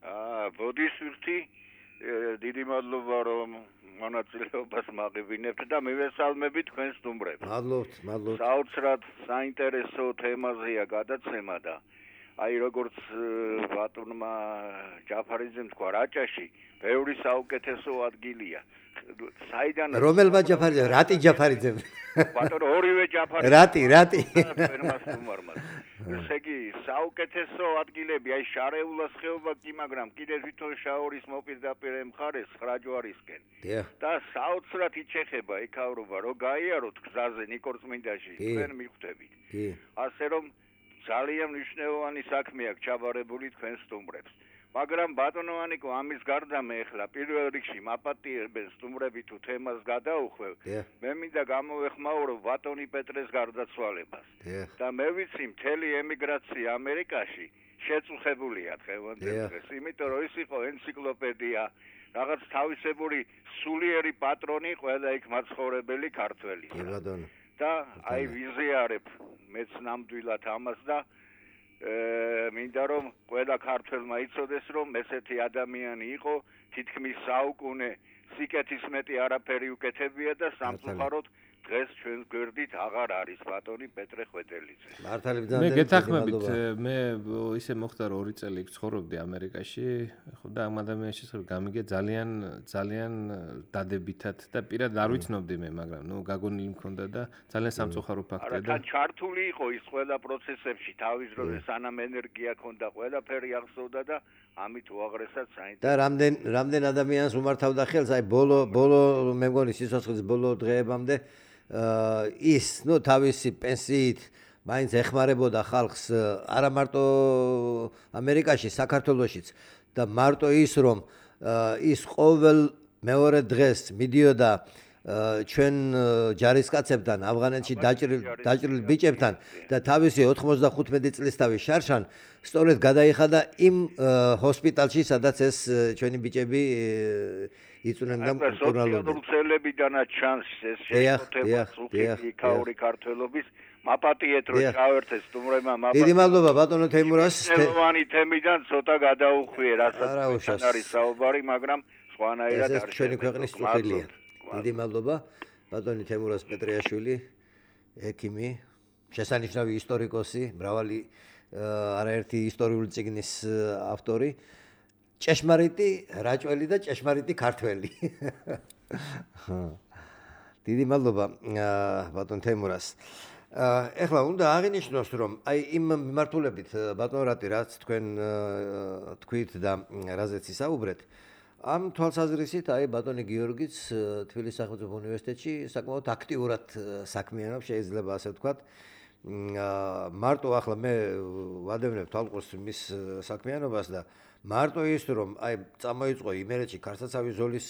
აა, ბოდისვირთი, დიდი მადლობა რომ მონაწილეობას მაღებინებთ და მივესალმები თქვენ სტუმრებს. მადლობთ, მადლობთ. საოცრად საინტერესო თემაზეა გადაცემა და აი როგორც ბატონმა ჯაფარიძემ თქვა, რაჭაში ბევრი საუკეთესო ადგილია. საიდან რომელმა ჯაფარიძე, რატი ჯაფარიძე? ბატონო ორივე ჯაფარიძე. რატი, რატი. ესე იგი, საუკეთესო ადგილები, აი შარეულას ხეობა კი, მაგრამ კიდე თვითონ შაორის მოპირდაპირ მხარეს ხრაჯვარისკენ. და საოცრად იჩეხება იქავრობა, რომ გაიაროთ გზაზე ნიკორწმინდაში, თქვენ მიხვდებით. ასე რომ ძალიან მნიშვნელოვანი საქმე აქვს ჩაბარებული თქვენ სტუმრებს. მაგრამ ბატონო ანიკო, ამის გარდა მე ახლა პირველ რიგში მაპატიებენ სტუმრები თუ თემას გადაუხვევ, მე მინდა გამოვეხმაურო ბატონი პეტრეს გარდაცვალებას. და მე ვიცი მთელი ემიგრაცია ამერიკაში შეწუხებულია დღევანდელ დღეს, იმიტომ რომ ის იყო ენციკლოპედია, რაღაც თავისებური სულიერი პატრონი ყველა იქ მაცხოვრებელი ქართველი. და აი ვიზიარებ მეც ნამდვილად ამას და მინდა რომ ყველა ქართველმა იცოდეს რომ ესეთი ადამიანი იყო თითქმის საუკუნე სიკეთის მეტი არაფერი უკეთებია და სამწუხაროდ დღეს ჩვენ გვერდით აღარ არის ბატონი პეტრე ხვეტელიძე. მართალი მე ბრძანდება. გეთახმებით, მე ისე მოხდა რომ ორი წელი ცხოვრობდი ამერიკაში, ხო და ამ ადამიანის შესახებ გამიგე ძალიან ძალიან დადებითად და პირად არ ვიცნობდი მე, მაგრამ ნუ გაგონილი მქონდა და ძალიან სამწუხარო ფაქტია და არა, ჩართული იყო ის ყველა პროცესებში, თავის დროზე სანამ ენერგია ქონდა, ყველაფერი ახსოვდა და ამით უაღრესად საინტერესო. და რამდენ რამდენ ადამიანს უმართავდა ხელს, აი ბოლო ბოლო მე მგონი სიცოცხლის ბოლო დღეებამდე ის, ნუ თავისი პენსიით მაინც ეხმარებოდა ხალხს არა მარტო ამერიკაში, საქართველოშიც და მარტო ის რომ ის ყოველ მეორე დღეს მიდიოდა ჩვენ ჯარისკაცებთან ავღანეთში დაჭრილ დაჭრილ ბიჭებთან და თავისი ოთხმოცდახუთმეტი წლისთავის შარშან სწორედ გადაიხადა იმ ჰოსპიტალში, სადაც ეს ჩვენი ბიჭები იწუნენ და მკურნალობდნენ. სოციალურებიდანაც ჩანს ეს შეფოთება სულხი ქაური ქართველობის მაპატიეთ რომ ჩავერთეს სტუმრებმა მაპატიეთ. დიდი მადლობა ბატონო თეიმურას. თემოვანი თემიდან ცოტა გადაუხვიე, რასაც არის საუბარი, მაგრამ სხვანაირად არის. ეს ჩვენი ქვეყნის წუხილია. დიდი მადლობა ბატონი თემურას პეტრიაშვილი, ექიმი, შესანიშნავი ისტორიკოსი, მრავალი არაერთი ისტორიული წიგნის ავტორი, ჭეშმარიტი რაჭველი და ჭეშმარიტი ქართველი. დიდი მადლობა ბატონ თემურას. ეხლა უნდა აღინიშნოს რომ აი იმ მიმართულებით ბატონ რატი რაც თქვენ თქვით და რაზეც ისაუბრეთ ამ თვალსაზრისით აი ბატონი გიორგიც თბილისის სახელმწიფო უნივერსიტეტში საკმაოდ აქტიურად საქმიანობს, შეიძლება ასე ვთქვათ. მარტო ახლა მე ვადევნებ თვალყურს მის საქმიანობას და მარტო ის რომ აი წამოიწყო იმერეთში ქარსაცავის ზოლის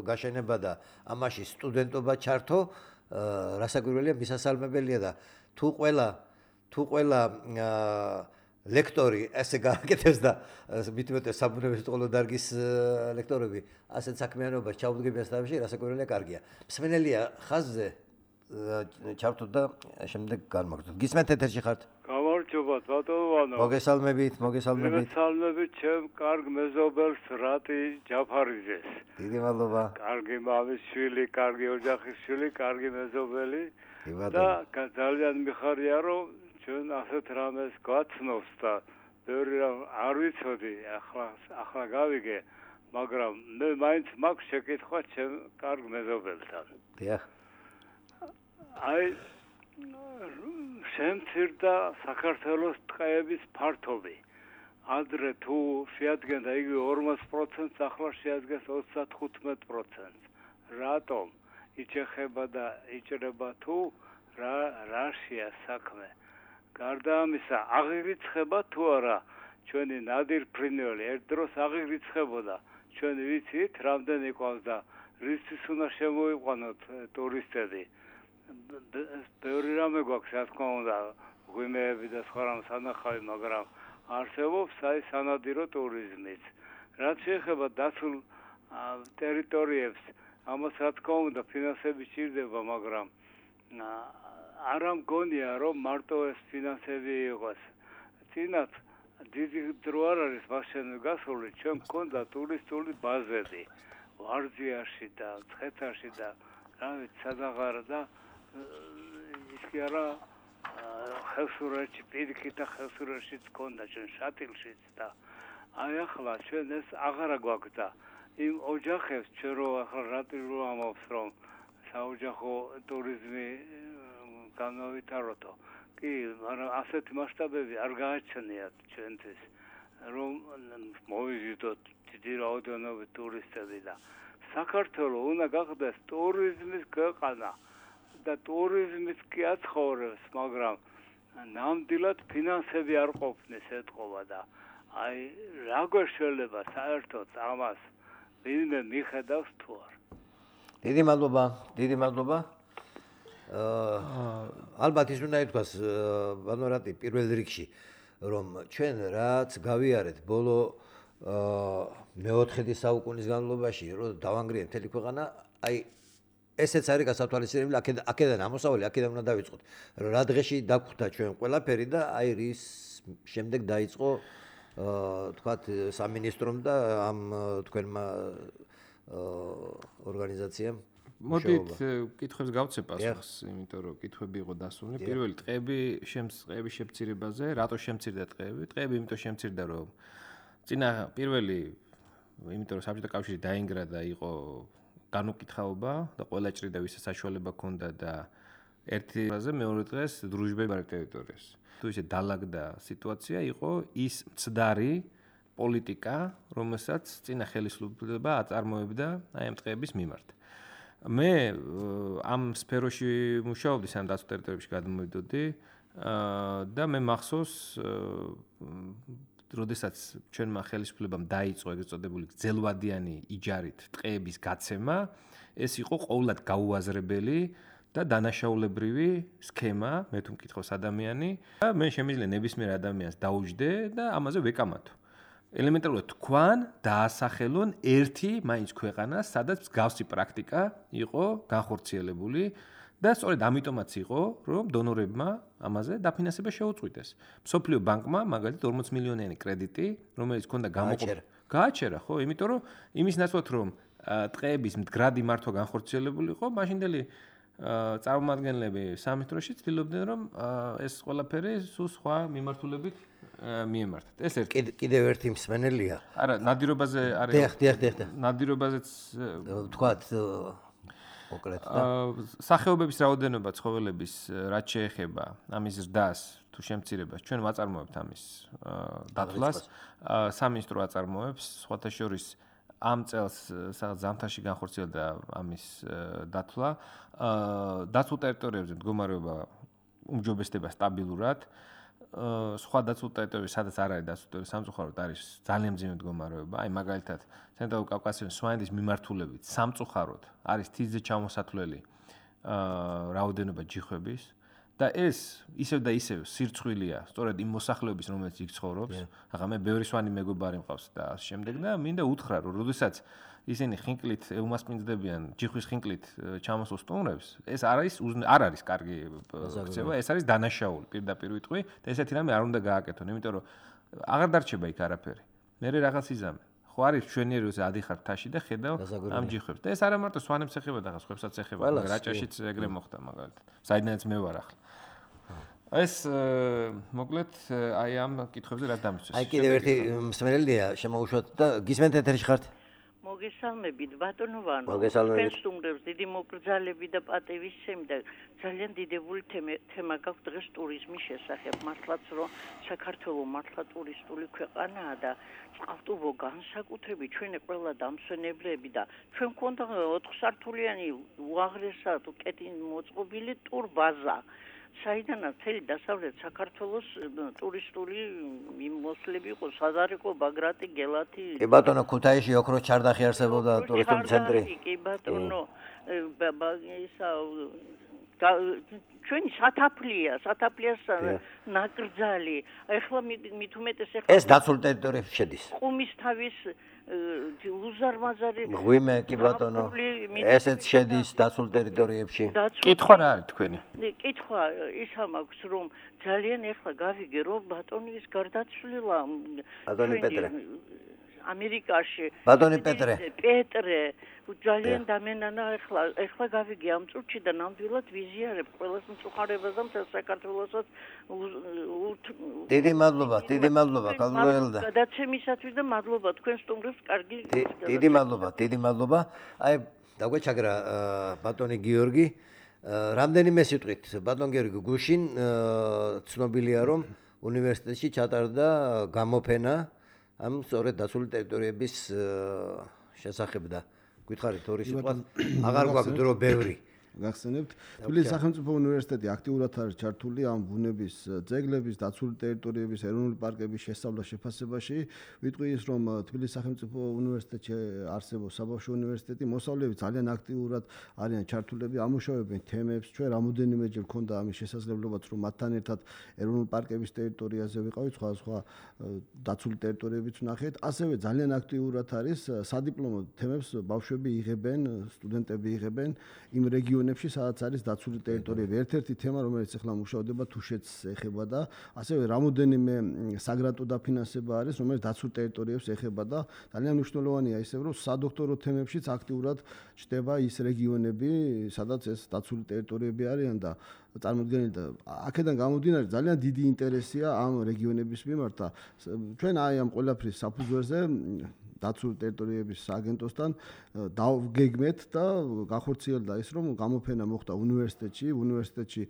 გაშენება და ამაში სტუდენტობა ჩართო, რასაკვირველია, მისასალმებელია და თუ ყველა თუ ყველა ლექტორი ესე გააკეთებს და მithumetes საბუნებისმეტყველო დარგის ლექტორები ასეთ საქმიანობას ჩაუდგებიან თავში, რასაკვირველია, კარგია. მსმენელია ხაზზე ჩავთოთ და შემდეგ განმაგდოთ. გისმენთ ეთერში ხართ? გამარჯობათ ბატონო ვანო. მოგესალმებით, მოგესალმებით. მოგესალმებით ჩემ კარგ მეზობელს რატი ჯაფარიძეს. დიდი მადლობა. კარგი მამის შვილი, კარგი ოჯახის შვილი, კარგი მეზობელი და ძალიან მიხარია რომ ჩვენ ასეთ რამეს გვაცნობს და ბევრი რამ არ ვიცოდი, ახლა ახლა გავიგე, მაგრამ მე მაინც მაქვს შეკითხვა ჩემ კარგ მეზობელთან. დიახ. აი შემცირდა საქართველოს ტყეების ფართობი. ადრე თუ შეადგენდა იგი ორმოც პროცენტს, ახლა შეადგენს ოცდახუთ პროცენტს. რატომ იჩეხება და იჭრება თუ რა რაშია საქმე? გარდა ამისა, აღირიცხება თუ არა ჩვენი ნადირ ფრინველი ერთ დროს აღირიცხებოდა. ჩვენ ვიცით, რამდენი ყავს და რისთვის უნდა შემოიყვანოთ ტურისტები. ბევრი რამე გვაქვს, რა თქმა უნდა, ღვინეები და სხვა რამ სანახავი, მაგრამ არსებობს აი სანადირო ტურიზმიც. რაც შეეხება დაცულ ტერიტორიებს, ამას რა თქმა უნდა ფინანსები სჭირდება, მაგრამ არა მგონია რომ მარტო ეს ფინანსები იყოს. წინათ დიდი დრო არ არის მაშინ გასული, ჩვენ მქონდა ტურისტული ბაზები ვარძიაში და ცხეთაში და რა ვიცი სადაღარა და ის კი არა ხევსურეთში, პირიქით და ხევსურეთშიც მქონდა, ჩვენ შატილშიც და აი ახლა ჩვენ ეს აღარა გვაქვს და იმ ოჯახებს ჩვენ რო ახლა რატი რო ამბობს რომ საოჯახო ტურიზმი განავითაროთო. კი, მაგრამ ასეთი მასშტაბები არ გააჩნიათ ჩვენთვის, რომ მოვიზიდოთ დიდი რაოდენობით ტურისტები და საქართველოს უნდა გახდეს ტურიზმის ქვეყანა და ტურიზმის კი აცხოვრებს, მაგრამ ნამდვილად ფინანსები არ ყოფნის ეთყობა და აი რა გვეშველება საერთოდ ამას ვინმე მიხედავს თუ არ. დიდი მადლობა, დიდი მადლობა. ალბათ ის უნდა ითქვას ბანო რატი პირველ რიგში რომ ჩვენ რაც გავიარეთ ბოლო მეოთხედი საუკუნის განმავლობაში რომ დავანგრიეთ მთელი ქვეყანა, აი ესეც არის გასათვალისწინებელი, აქედან ამოსავალი, აქედან უნდა დავიწყოთ. რა დღეში დაგხვდა ჩვენ ყველაფერი და აი რის შემდეგ დაიწყო თქვათ სამინისტრომ და ამ თქვენმა ორგანიზაციამ მოდით კითხვებს გავცე პასუხს, იმიტომ რომ კითხვები იყო დასუნული. პირველი ტყეები, შემწყვეტი შემცირებაზე, რატო შემცირდა ტყეები? ტყეები იმიტომ შემცირდა, რომ წინა პირველი, იმიტომ რომ საბჭოთა კავშირი დაინგრა და იყო განუკითხაობა და ყველა ჭრიდა ვისაც საშუალება ჰქონდა და ერთი რაზე მეორე დღეს დრუჟბები არ ტერიტორიას. თუ ისე დალაგდა სიტუაცია, იყო ის მცდარი პოლიტიკა, რომელსაც წინა ხელისუფლება აწარმოებდა აი ამ ტყეების მიმართ. მე ამ სფეროში მუშაობდი, სამ დაცულ ტერიტორიებში გადმოვიდოდი და მე მახსოვს, როდესაც ჩვენმა ხელისუფლებამ დაიწყო ეგრეთ წოდებული გრძელვადიანი იჯარით ტყეების გაცემა, ეს იყო ყოვლად გაუაზრებელი და დანაშაულებრივი სქემა, მე თუ მკითხავს ადამიანი და მე შემიძლია ნებისმიერ ადამიანს დაუჯდე და ამაზე ვეკამათო. ელემენტარულად თქვან დაასახელონ ერთი მაინც ქვეყანა, სადაც მსგავსი პრაქტიკა იყო განხორციელებული და სწორედ ამიტომაც იყო, რომ დონორებმა ამაზე დაფინანსება შეუწყვიტეს. მსოფლიო ბანკმა მაგალითად ორმოც მილიონიანი კრედიტი, რომელიც ჰქონდა გამოყოფილი, გააჩერა, ხო, იმიტომ რომ იმის ნაცვლად რომ ტყეების მდგრადი მართვა განხორციელებული იყო, მაშინდელი წარმომადგენლები სამეტროში ცდილობდნენ, რომ ეს ყველაფერი სულ სხვა მიმართულებით მიემართათ. ეს ერთი. კიდევ ერთი მსმენელია. არა, ნადირობაზე არის. დიახ, დიახ, დიახ. ნადირობაზეც თქვათ მოკლედ და სახეობების რაოდენობა ცხოველების რაც შეეხება ამის ზრდას თუ შემცირებას ჩვენ ვაწარმოებთ ამის დათვლას. სამინისტრო აწარმოებს, სხვათა შორის ამ წელს სადაც ზამთარში განხორციელდა ამის დათვლა. დაცულ ტერიტორიებზე მდგომარეობა უმჯობესდება სტაბილურად. სხვა დაცულ ტერიტორიებში, სადაც არ არის დაცული ტერიტორია, სამწუხაროდ არის ძალიან მძიმე მდგომარეობა. აი მაგალითად, ცენტრალურ კავკასიონის სვანეთის მიმართულებით სამწუხაროდ არის თითზე ჩამოსათვლელი რაოდენობა ჯიხვების და ეს ისევ და ისევ სირცხვილია, სწორედ იმ მოსახლეობის, რომელიც იქ ცხოვრობს. ახლა მე ბევრი სვანი მეგობარი მყავს და ამ შემდეგ და მინდა უთხრა, რომ როდესაც ისინი ხინკლით ევმასპინძდებიან ჯიხვის ხინკლით ჩამოსულ სტუმრებს, ეს არ არის არ არის კარგი ქცევა, ეს არის დანაშაული, პირდაპირ ვიტყვი და ესეთი რამე არ უნდა გააკეთონ, იმიტომ რომ აღარ დარჩება იქ არაფერი. მე რაღაც იზამე. ხო არის ჩვენიეროზე ადიხარ მთაში და ხედავ ამ ჯიხვებს. და ეს არა მარტო სვანებს ეხება და ხსხვებსაც ეხება, რაჭაშიც ეგრე მოხდა მაგალითად. საიდანაც მე ვარ ახლა. ეს მოკლედ აი ამ კითხვებზე რაც დამისვეს. აი კიდევ ერთი მსმენელია შემოუშვათ და გისმენთ ეთერში ხართ? მოგესალმებით ბატონო ვანო. მოგესალმებით. სტუმრებს დიდი მოგრძალები და პატივისცემი და ძალიან დიდებული თემა გაქვს დღეს ტურიზმის შესახებ. მართლაც რომ საქართველო მართლა ტურისტული ქვეყანაა და წყალტუბო განსაკუთრებით ჩვენი ყველა დამსვენებლები და ჩვენ გვქონდა ოთხსართულიანი უაღრესად კეტინ მოწყობილი ტურბაზა. საიდანაც მთელი დასავლეთ საქართველოს ტურისტული მოსვლები იყო საზარიკო, ბაგრატი, გელათი. კი ბატონო, ქუთაისში ოქროს ჩარდახი არსებობდა ტურისტული ცენტრი. კი ბატონო, ისა ჩვენი სათაფლია, სათაფლიას ნაკრძალი. ეხლა მით უმეტეს ეხლა ეს დაცულ ტერიტორიებში შედის. ყუმისთავის უზარმაზარი ღვიმე კი ბატონო, ესეც შედის დაცულ ტერიტორიებში. კითხვა რა არის თქვენი? კითხვა ისა მაქვს, რომ ძალიან ეხლა გავიგე, რომ ბატონის გარდაცვლილა ბატონი პეტრე ამერიკაში ბატონი პეტრე პეტრე ძალიან დამენანა ეხლა ეხლა გავიგე ამ წუთში და ნამდვილად ვიზიარებ ყველას მწუხარებას და მთელ საქართველოსაც დიდი მადლობა დიდი მადლობა კალველდა გადაცემისათვის და მადლობა თქვენ სტუმრებს კარგი დიდი მადლობა დიდი მადლობა აი დაგვეჩაგრა ბატონი გიორგი რამდენიმე სიტყვით ბატონ გიორგი გუშინ ცნობილია რომ უნივერსიტეტში ჩატარდა გამოფენა ამ სწორედ დაცული ტერიტორიების შესახებ და გითხარით ორი სიტყვა აღარ გვაქვს დრო ბევრი გახსენებთ თბილისის სახელმწიფო უნივერსიტეტი აქტიურად არის ჩართული ამ ბუნების ძეგლების დაცული ტერიტორიების ეროვნული პარკების შესწავლა შეფასებაში ვიტყვი ის რომ თბილისის სახელმწიფო უნივერსიტეტში არსებობს საბავშვო უნივერსიტეტი მოსწავლეები ძალიან აქტიურად არიან ჩართულები ამუშავებენ თემებს ჩვენ რამოდენიმეჯერ ქონდა ამის შესაძლებლობაც რომ მათთან ერთად ეროვნული პარკების ტერიტორიაზე ვიყავით სხვა სხვა დაცული ტერიტორიებიც ვნახეთ ასევე ძალიან აქტიურად არის სადიპლომო თემებს ბავშვები იღებენ სტუდენტები იღებენ იმ რეგიონებში რეგიონებში, სადაც არის დაცული ტერიტორიები. ერთ-ერთი თემა, რომელიც ახლა მუშადება თუშეთს ეხება და ასევე რამოდენიმე საგრანტო დაფინანსება არის, რომელიც დაცულ ტერიტორიებს ეხება და ძალიან მნიშვნელოვანია ისევ, რომ სადოქტორო თემებშიც აქტიურად ჩდება ის რეგიონები, სადაც ეს დაცული ტერიტორიები არიან და წარმოდგენილი და აქედან გამომდინარე ძალიან დიდი ინტერესია ამ რეგიონების მიმართ და ჩვენ აი ამ ყველაფრის საფუძველზე დაცული ტერიტორიების აგენტოსთან დავგეგმეთ და გახორციელდა ის რომ გამოფენა მოხდა უნივერსიტეტში უნივერსიტეტში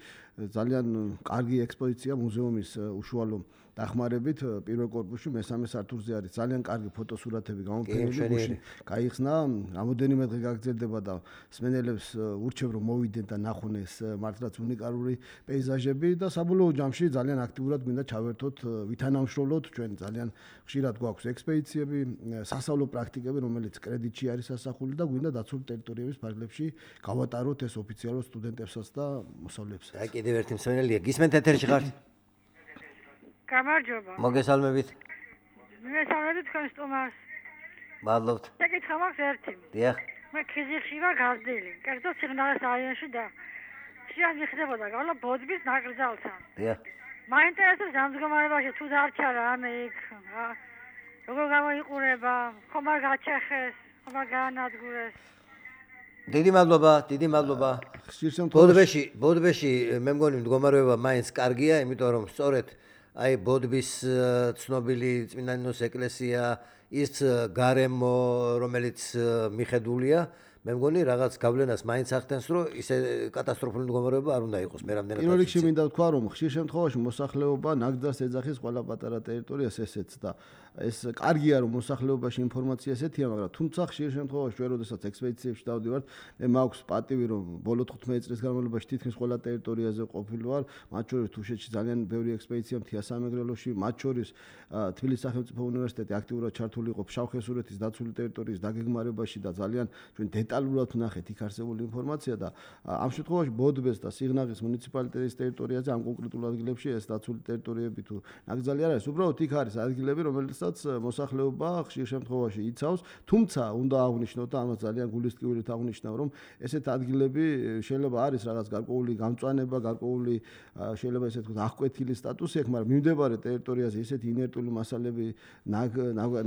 ძალიან კარგი ექსპოზიცია მუზეუმის უშუალო დახმარებით პირველ კორპუსში მესამე სართულზე არის ძალიან კარგი ფოტოსურათები გამოფენილი გაიხსნა რამოდენიმე დღე გაგრძელდება და სმენელებს ურჩევ რომ მოვიდნენ და ნახონ ეს მართლაც უნიკალური პეიზაჟები და საბოლოო ჯამში ძალიან აქტიურად გვინდა ჩავერთოთ ვითანამშრომლოთ ჩვენ ძალიან ხშირად გვაქვს ექსპედიციები სასწავლო პრაქტიკები რომელიც კრედიტში არის ასახული და გვინდა დაცული ტერიტორიების ფარგლებში გავატაროთ ეს ოფიციალურ სტუდენტებსაც და მოსწავლეებსაც. აი კიდევ ერთი მსმენელია გისმენთ ეთერში ხართ? გამარჯობა. მოგესალმებით. მოგესალმებით თქვენ სტუმარს. მადლობთ. შეკითხვა მაქვს ერთი. დიახ. მე ქიზიხში ვარ გავდილი. კერძო სიგნალის რაიონში და შეიძლება მიხდებოდა გავლა ბოდბის ნაკრძალთან. დიახ. მაინტერესებს ამ მდგომარეობაში თუ დარჩა რამე იქ როგორ გამოიყურება, ხომ არ გაჩეხეს, ხომ არ გაანადგურეს. დიდი მადლობა, დიდი მადლობა. ბოდბეში, ბოდბეში მე მგონი მდგომარეობა მაინც კარგია, იმიტომ რომ სწორედ აი ბოდბის ცნობილი წმინდანინოს ეკლესია ის გარემო რომელიც მიხედულია მე მგონი რაღაც გავლენას მაინც ახდენს რომ ისე კატასტროფული მდგომარეობა არ უნდა იყოს მე რამდენად პირველ რიგში მინდა ვთქვა რომ ხშირ შემთხვევაში მოსახლეობა ნაკრძალს ეძახის ყველა პატარა ტერიტორიას ესეც და ეს კარგია რომ მოსახლეობაში ინფორმაცია ესეთია მაგრამ თუმცა ხშირ შემთხვევაში ჩვენ როდესაც ექსპედიციებში დავდივართ მე მაქვს პატივი რომ ბოლო თხუთმეტი წლის განმავლობაში თითქმის ყველა ტერიტორიაზე ყოფილი ვარ მათ შორის თუშეთში ძალიან ბევრი ექსპედიცია მთია სამეგრელოში მათ შორის თბილისის სახელმწიფო უნივერსიტეტი აქტიურად ჩართული იყო ფშავ-ხევსურეთის დაცული ტერიტორიის დაგეგმარებაში და ძალიან ჩვენ დეტალურად ვნახეთ იქ არსებული ინფორმაცია და ამ შემთხვევაში ბოდბეს და სიღნაღის მუნიციპალიტეტის ტერიტორიაზე ამ კონკრეტულ ადგილებში ეს დაცული ტერიტორიები თუ ნაკრძალი არ არის უბრალოდ იქ არის ადგილები რომელსაც მოსახლეობა ხშირ შემთხვევაში იცავს თუმცა უნდა აღვნიშნოთ და ამას ძალიან გულისტკივილით აღვნიშნავ რომ ესეთ ადგილები შეიძლება არის რაღაც გარკვეული გამწვანება გარკვეული შეიძლება ესე ვთქვათ აღკვეთილი სტატუსი აქვს მაგრამ მიმდებარე ტერიტორიაზე ესეთი ინერტული მასალები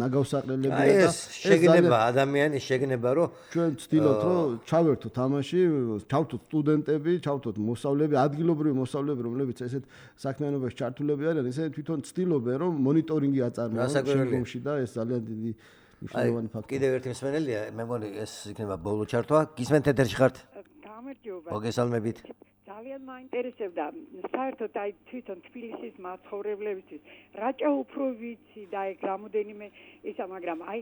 ნაგავსაყრელებია და ეს შეგნება ადამიანის შეგნება რომ ჩვენ ვცდილობთ რომ ჩავერთოთ ამაში ჩავთოთ სტუდენტები ჩავთოთ მოსწავლეები ადგილობრივი მოსწავლეები რომლებიც ესეთ საქმიანობაში ჩართულები არიან ესენი თვითონ ვცდილობენ რომ მონიტორინგი აწარმოონ შემდგომში და ეს ძალიან დიდი მნიშვნელოვანი ფაქტორია. კიდევ ერთი მსმენელია, მე მგონი ეს იქნება ბოლო ჩართვა. გისმენთ ეთერში ხართ? გამარჯობა. მოგესალმებით. ძალიან მაინტერესებდა საერთოდ აი თვითონ თბილისის მაცხოვრებლებისთვის რაჭა უფრო ვიცი და ეგ რამოდენიმე ისა მაგრამ აი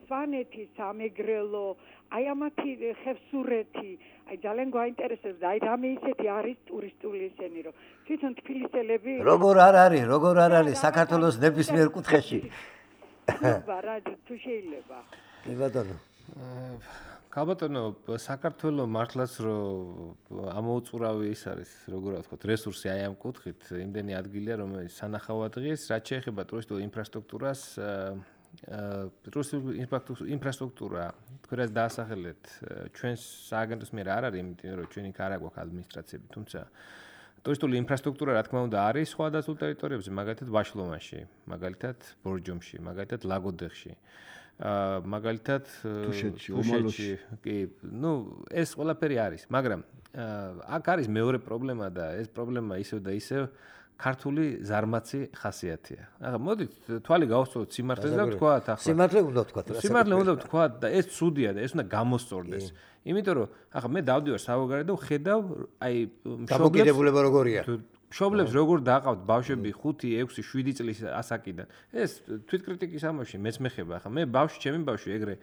სვანეთი, სამეგრელო, აი ამათი ხევსურეთი, აი ძალიან გვაინტერესებს აი რამე ისეთი არის ტურისტული ესენი რომ თვითონ თბილისელები როგორ არ არის, როგორ არ არის საქართველოს ნებისმიერ კუთხეში. ბარაჯი თუ შეიძლება. კი ბატონო. კაბატონო საქართველოს მართლაც რომ ამოუწურავი ის არის როგორ ვთქვათ რესურსი აი ამ კუთხით იმდენი ადგილია რომელიც სანახავად ღირს რაც შეეხება ტურისტულ ინფრასტრუქტურას ტურისტული ინფრასტრუქტურა თქვენაც დაასახელეთ ჩვენს სააგენტოს მიერ არ არის იმიტომ რომ ჩვენ იქ არ აქვს ადმინისტრაციები თუმცა ტურისტული ინფრასტრუქტურა რა თქმა უნდა არის სხვა დაცულ ტერიტორიებზე მაგალითად ვაშლომანში მაგალითად ბორჯომში მაგალითად ლაგოდეხში მაგალითად თუშეთში კი ნუ ეს ყველაფერი არის მაგრამ აქ არის მეორე პრობლემა და ეს პრობლემა ისევ და ისევ ქართული ზარმაცი ხასიათია. ახლა მოდით თვალი გავუსწროთ სიმართლეს და ვთქვათ ახლა სიმართლე უნდა ვთქვათ სიმართლე უნდა ვთქვათ და ეს ცუდია და ეს უნდა გამოსწორდეს. იმიტომ რომ ახლა მე დავდივარ სავოგარეთ და ვხედავ აი დამოკიდებულება როგორია მშობლებს როგორ დააყავთ ბავშვები ხუთი, ექვსი, შვიდი წლის ასაკიდან. ეს თვითკრიტიკის ამოში მეც მეხება. ახლა მე ბავშვი, ჩემი ბავშვი ეგრე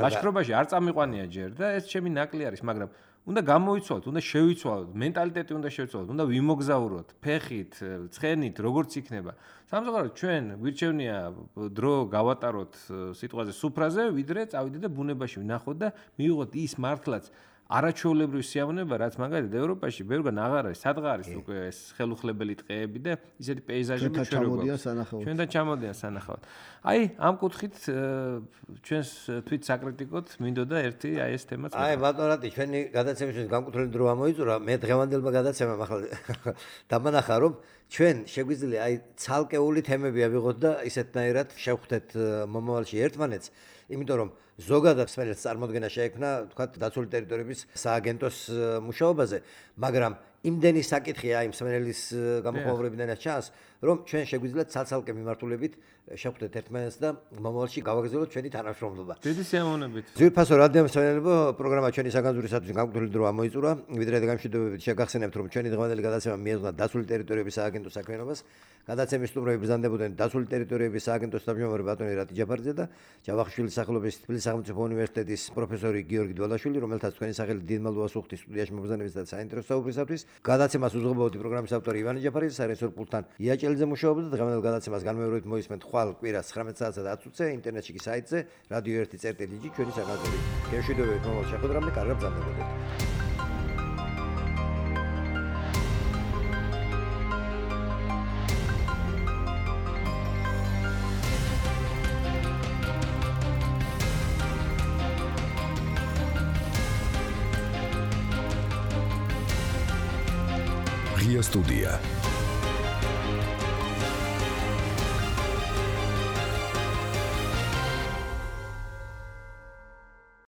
ლაშქრობაში არ წამიყვანია ჯერ და ეს ჩემი ნაკლი არის, მაგრამ უნდა გამოიცვალოთ, უნდა შევიცვალოთ, მენტალიტეტი უნდა შევიცვალოთ, უნდა ვიმოგზაუროთ, ფეხით, ცხენით, როგორც იქნება. სამწუხაროდ ჩვენ გვირჩევნია დრო გავატაროთ სიტყვაზე სუფრაზე, ვიდრე წავიდეთ და ბუნებაში ვნახოთ და მივიღოთ ის მართლაც არაჩვეულებრივი სიამოვნება, რაც მაგალითად ევროპაში ბევრგან აღარ არის, სადღა არის უკვე ეს ხელუხლებელი ტყეები და ისეთი პეიზაჟები ჩვენთან სანახავად. ჩვენთან ჩამოდიან სანახავად. აი, ამ კუთხით ჩვენს თვით საკრიტიკოდ მინდოდა ერთი აი ეს თემაც. აი, ბატონო რატი, ჩვენი გადაცემისთვის განკუთვნილი დრო ამოიწურა, მე დღევანდელმა გადაცემამ ახლა დამანახა რომ ჩვენ შეგვიძლია აი ცალკეული თემები ავიღოთ და ისეთნაირად შევხვდეთ მომავალში ერთმანეთს, იმიტომ რომ ზოგადად სპეციალისტ წარმოქმნა შეექმნა, თქვა დაცული ტერიტორიების სააგენტოს მუშაობაზე, მაგრამ იმდენი საკითხია იმ სპეციალის გამოხმაურებიდან ჩანს, რომ ჩვენ შეგვიძლია ცალ-ცალკე მიმართულებით შევხვდეთ ერთმანეთს და მომავალში გავაგრძელოთ ჩვენი თანამშრომლობა. დიდი სიამოვნებით. ძვირფასო რადიო მსმენელებო, პროგრამა ჩვენი საგანძურისათვის განკუთვნილი დრო ამოიწურა. ვიდრე გამშვიდობებით შეგახსენებთ, რომ ჩვენი დღევანდელი გადაცემა მიეძღვნა დაცული ტერიტორიების სააგენტოს საქმიანობას. გადაცემის სტუმრები ბრძანდებოდნენ დაცული ტერიტორიების სააგენტოს თავმჯდომარე ბატონი რატი ჯაფარიძე და ჯავახიშვილის სახელობის თბილისის სახელმწიფო უნივერსიტეტის პროფესორი გიორგი დვალაშვილი, რომელთაც თქვენი სახელი დიდ მადლობას ვუხდით სტუდიაში მობრძანების და საინტერესო საუბრისათვის. გადაცემას უზრუნველყოფდა პროგრამის ავტორი ივანე ჯაფარიძე, საერთო პულტთან იაჭელიძე მუშაობდა და დღევანდელ გადაცემას განმეორებით მოისმენთ ხვალ კვირას ცხრამეტ საათსა და ათი წუთზე ინტერნეტში კი საიტზე რადიო ერთი წერტილი ჯი ჩვენი საგანძური. გეშვიდობებით მომავალ შეხვედრამდე, კარგად ბრძანდებოდეთ. Ria Studia.